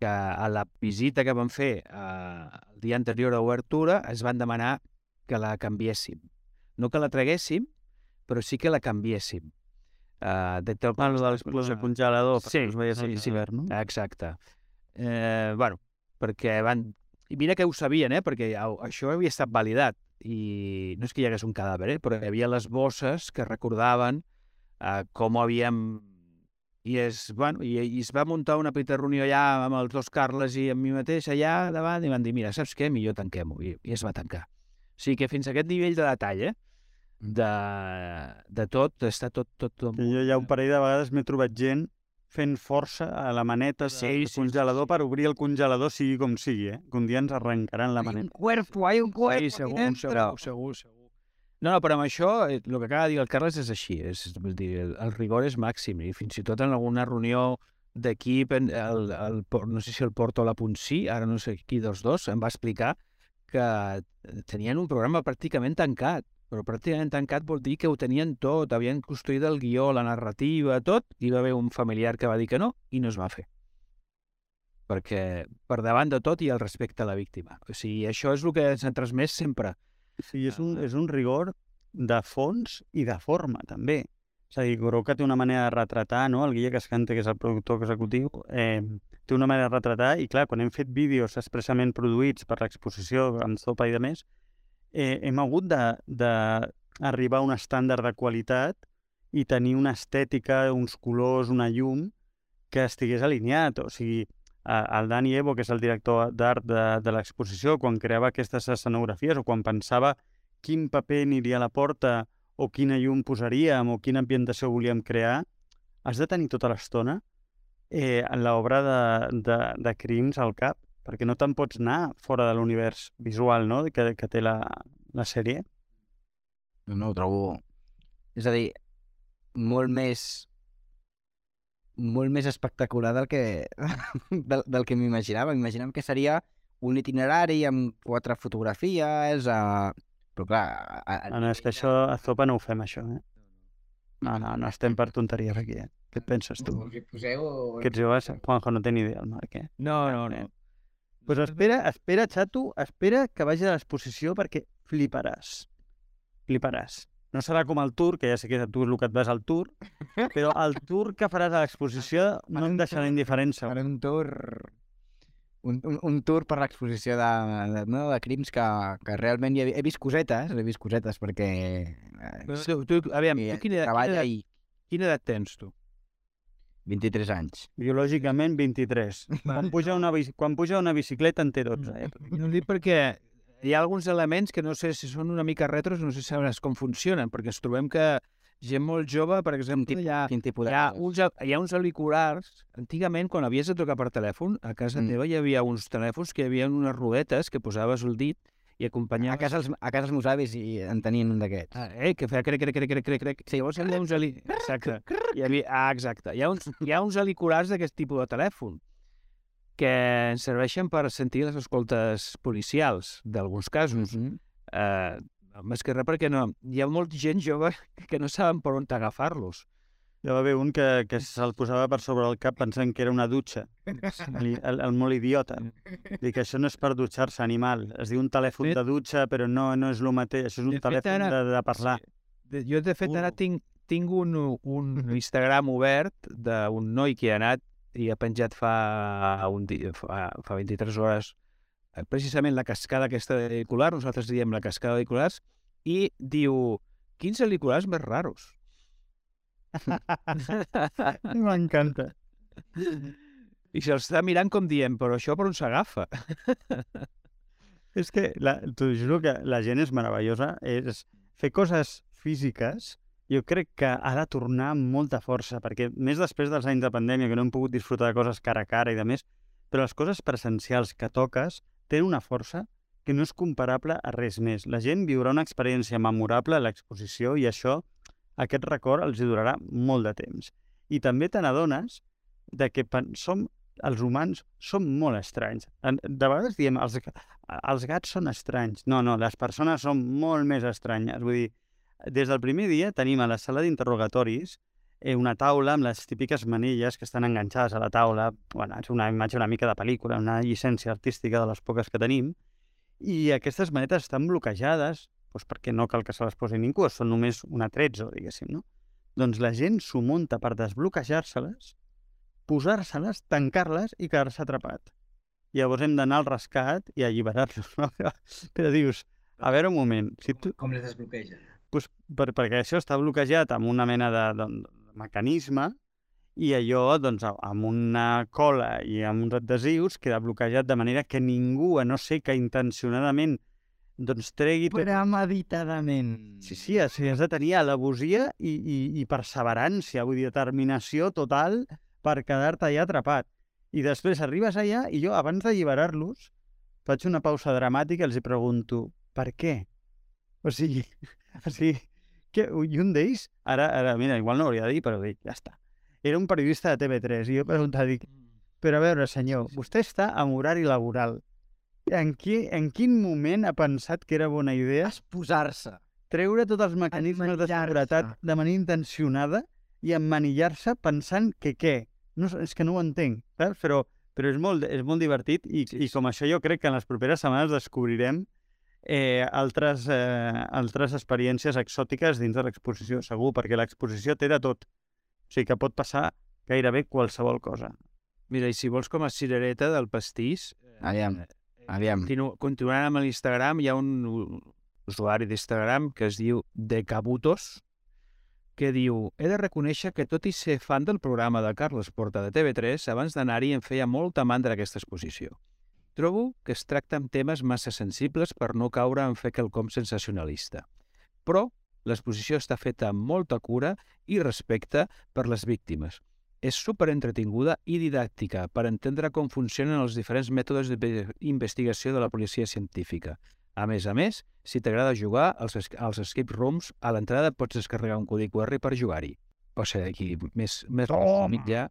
que a la visita que vam fer eh, el dia anterior a obertura es van demanar que la canviéssim. No que la traguéssim, però sí que la canviéssim. Uh, de tal Ah, el del, el del congelador, Sí, perquè us veies sí, el sí. hivern, no? Exacte. Eh, bueno, perquè van... I mira que ho sabien, eh? Perquè au- això havia estat validat. I no és que hi hagués un cadàver, eh? Però hi havia les bosses que recordaven eh, com havíem... I es, bueno, i, i es va muntar una petita reunió allà amb els dos Carles i amb mi mateix allà davant i van dir, mira, saps què? Millor tanquem-ho. I, I es va tancar. O sigui que fins a aquest nivell de detall, eh? De, de tot, està tot... tot, tot Que jo ja un parell de vegades m'he trobat gent fent força a la maneta Sí, del sí, sí, congelador sí. per obrir el congelador sigui com sigui, eh? Que un dia ens arrencaran la maneta. cuerpo, hay un Sí, segur, segur, segur, segur. No, no, però amb això, eh, el que acaba de dir el Carles és així, és, vull dir, el, el rigor és màxim, i fins i tot en alguna reunió d'equip, en- el, el, Por- no sé si el Porto o la Ponsí, ara no sé qui dels dos, em va explicar que tenien un programa pràcticament tancat, però pràcticament tancat vol dir que ho tenien tot, havien construït el guió, la narrativa, tot, i hi va haver un familiar que va dir que no, i no es va fer. Perquè per davant de tot hi ha el respecte a la víctima. O sigui, això és el que ens ha transmès sempre. Sí, és un, és un rigor de fons i de forma, també. És a dir, Goroka té una manera de retratar, no? El Guille Cascante, que és el productor executiu, eh, té una manera de retratar i, clar, quan hem fet vídeos expressament produïts per l'exposició amb Zopa i de més, eh, hem hagut d'arribar a un estàndard de qualitat i tenir una estètica, uns colors, una llum que estigués alineat. O sigui, eh, el Dani Evo, que és el director d'art de, de l'exposició, quan creava aquestes escenografies o quan pensava quin paper aniria a la porta o quina llum posaríem o quina ambientació volíem crear, has de tenir tota l'estona eh, en l'obra de, de, de Crims al cap, perquè no te'n pots anar fora de l'univers visual, no?, que, que té la, la sèrie. No, no, ho trobo... És a dir, molt més molt més espectacular del que, del, del que m'imaginava. M'imaginava que seria un itinerari amb quatre fotografies, uh... però clar... A, a, Ah, no, és que això a Zopa no ho fem, això, eh? No, no, no estem per tonteries aquí, eh? Què et penses, tu? Us hi poseu... Aquests joves, Juanjo no té ni idea, el Marc, eh? No, no, no. Pues espera, espera, xato, espera que vagi a l'exposició perquè fliparàs. Fliparàs. No serà com el tour, que ja sé que tu és el que et vas al tour, però el tour que faràs a l'exposició no em deixarà indiferent, segur. Faré un tour... Un, un, un tour per l'exposició de, de, no, de crims que, que realment hi he, he vist cosetes, he vist cosetes perquè... Eh, Però tu, tu, aviam, tu quina, edat, quina, treballa edat, i quina edat tens, tu? vint-i-tres anys. Biològicament, vint-i-tres. Quan puja una, bici- quan puja una bicicleta en té dotze, eh? No ho dic perquè hi ha alguns elements que no sé si són una mica retros, no sé si sabràs com funcionen, perquè ens trobem que gent molt jove, per exemple, hi ha, Quin tipus hi de... ha, uns, hi ha uns auriculars. Antigament, quan havies de trucar per telèfon, a casa Mm. teva hi havia uns telèfons que hi havia unes rodetes que posaves el dit i A acompanyaves... casa, els, a casa els meus avis i en tenien un d'aquests. Ah, eh, que feia crec, crec, crec, crec, crec, crec. Sí, llavors hi havia uns ali... Exacte. Hi havia... Ah, exacte. Hi ha uns, hi ha uns auriculars d'aquest tipus de telèfon que ens serveixen per sentir les escoltes policials, d'alguns casos. Mm -hmm. Eh, més que res perquè no, hi ha molta gent jove que no saben per on agafar-los. Hi va haver un que, que se'l posava per sobre el cap pensant que era una dutxa. El, el, el molt idiota. Dic que això no és per dutxar-se, animal. Es diu un telèfon Fet- de dutxa, però no, no és el mateix. Això és un De fet, telèfon ara- de, de parlar. Sí. De- Jo, de fet, ara Burro. tinc, tinc un, un Instagram obert d'un noi que ha anat i ha penjat fa, un dia, fa, fa vint-i-tres hores eh, precisament la cascada aquesta d'auriculars, nosaltres diem la cascada d'auriculars, i diu, quins auriculars més raros. M'encanta. I se'ls està mirant com dient, però això per on s'agafa? És que, la, t'ho juro que la gent és meravellosa. És fer coses físiques, jo crec que ha de tornar amb molta força, perquè més després dels anys de pandèmia, que no hem pogut disfrutar de coses cara a cara i de més, però les coses presencials que toques tenen una força que no és comparable a res més. La gent viurà una experiència memorable a l'exposició i això, aquest record, els hi durarà molt de temps. I també te n'adones de que som, els humans som molt estranys. De vegades diem, els, els gats són estranys. No, no, les persones són molt més estranyes. Vull dir, des del primer dia tenim a la sala d'interrogatoris eh, una taula amb les típiques manilles que estan enganxades a la taula. Bueno, és una imatge una mica de pel·lícula, una llicència artística de les poques que tenim. I aquestes manetes estan bloquejades, doncs perquè no cal que se les posi ningú, són només un atrezzo, diguéssim, no? Doncs la gent s'ho munta per desbloquejar-se-les, posar-se-les, tancar-les i quedar-se atrapat. Llavors hem d'anar al rescat i alliberar-los. No? Però dius, a veure un moment... Si tu... Com les desbloqueja? Pues per, perquè això està bloquejat amb una mena de, de, de mecanisme i allò, doncs, amb una cola i amb uns adhesius queda bloquejat de manera que ningú, a no ser que intencionadament, doncs tregui... Premeditadament. Sí, sí, has, has de tenir al·levosia i, i, i perseverància, vull dir, determinació total per quedar-te allà atrapat. I després arribes allà i jo, abans d'alliberar-los, faig una pausa dramàtica i els hi pregunto, per què? O sigui, o sigui que, i un d'ells, ara, ara, mira, igual no hauria de dir, però dic, ja està. Era un periodista de T V tres i jo preguntava, dic, però a veure, senyor, vostè està en horari laboral. En, qui, en quin moment ha pensat que era bona idea Exposar-se. treure tots els mecanismes de seguretat de manera intencionada i emmanillar-se pensant que què? No, és que no ho entenc, saps? Però, però és, molt, és molt divertit i, sí, sí. I com això jo crec que en les properes setmanes descobrirem eh, altres, eh, altres experiències exòtiques dins de l'exposició, segur, perquè l'exposició té de tot. O sigui que pot passar gairebé qualsevol cosa. Mira, i si vols com a cirereta del pastís... Aviam, aviam. Continu continuant amb l'Instagram, hi ha un usuari d'Instagram que es diu Decabutos, que diu: he de reconèixer que tot i ser fan del programa de Carles Porta de T V tres, abans d'anar-hi em feia molta mandra aquesta exposició. Trobo que es tracta amb temes massa sensibles per no caure en fer quelcom sensacionalista. Però l'exposició està feta amb molta cura i respecte per les víctimes. És superentretinguda i didàctica per entendre com funcionen els diferents mètodes d'investigació de la policia científica. A més a més, si t'agrada jugar als, als escape rooms, a l'entrada pots descarregar un codi Q R per jugar-hi. O sigui, aquí més... més Toma! ja.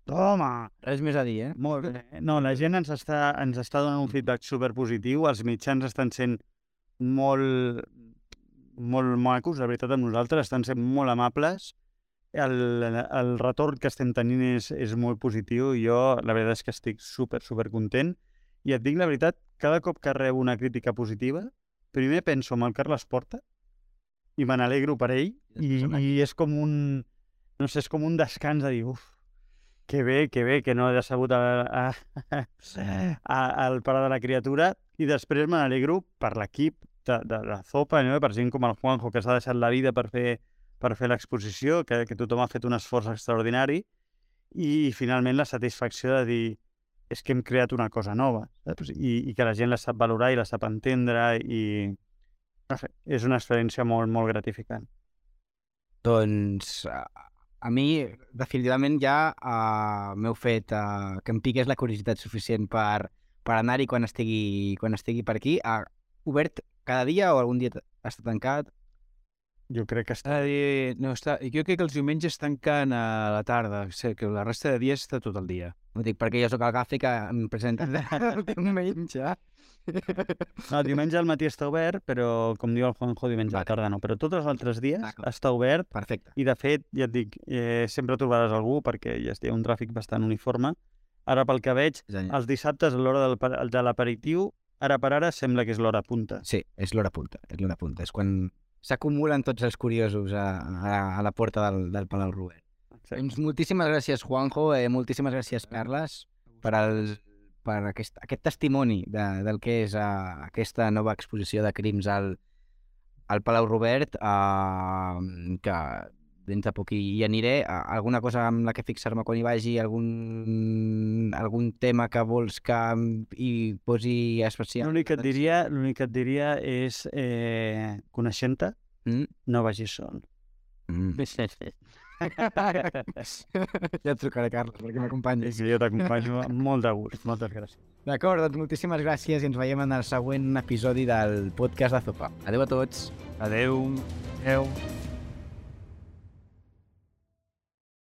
Toma! Res més a dir, eh? Molt bé. No, la gent ens està, ens està donant un feedback superpositiu, els mitjans estan sent molt, molt macos, la veritat, amb nosaltres, estan sent molt amables, el, el retorn que estem tenint és, és molt positiu i jo la veritat és que estic super, super content i et dic la veritat, cada cop que rebo una crítica positiva, primer penso en el Carles Porta i me n'alegro per ell i, i és com un, no sé, és com un descans de dir, uf, que bé, que bé, que no he decebut a, a, a, al pare de la criatura i després me n'alegro per l'equip de, de la Zopa, no? Per gent com el Juanjo que s'ha deixat la vida per fer per fer l'exposició, que, que tothom ha fet un esforç extraordinari i finalment la satisfacció de dir és que hem creat una cosa nova, saps? I, i que la gent la sap valorar i la sap entendre i no sé, és una experiència molt, molt gratificant. Doncs a, a mi definitivament ja uh, m'heu fet uh, que em piqués la curiositat suficient per, per anar-hi quan estigui, quan estigui per aquí. Ha obert cada dia o algun dia està tancat? Jo crec que està... Eh, no, està... Jo crec que els diumenges tanquen a la tarda, o sigui, que la resta de dies està tot el dia. Ho dic perquè jo sóc el gafe que em presenta el diumenge. No, diumenge al matí està obert, però com diu el Juanjo, diumenge a la tarda no. Però tots els altres dies està obert. Perfecte. I de fet, ja et dic, eh, sempre trobaràs algú perquè ja hi ha un tràfic bastant uniforme. Ara pel que veig, els dissabtes a l'hora de l'aperitiu, ara per ara sembla que és l'hora punta. Sí, és l'hora punta, és l'hora punta. És quan s'acumulen tots els curiosos a, a, a la porta del, del Palau Robert. Doncs moltíssimes gràcies, Juanjo, eh, moltíssimes gràcies, Carles, per, el, per aquest, aquest testimoni de, del que és uh, aquesta nova exposició de crims al, al Palau Robert, uh, que dins de poc hi aniré. Alguna cosa amb la que fixar-me quan hi vagi, algun, algun tema que vols que hi posi especial? L'únic que et diria, l'únic que et diria és, eh, coneixent-te, Mm? no vagis sol. Mm. Ja et trucaré, Carles, perquè m'acompanyis. Jo t'acompanyo amb molt de gust. Moltes gràcies. D'acord, doncs moltíssimes gràcies i ens veiem en el següent episodi del podcast de Zopa. Adéu a tots. Adeu. Adeu.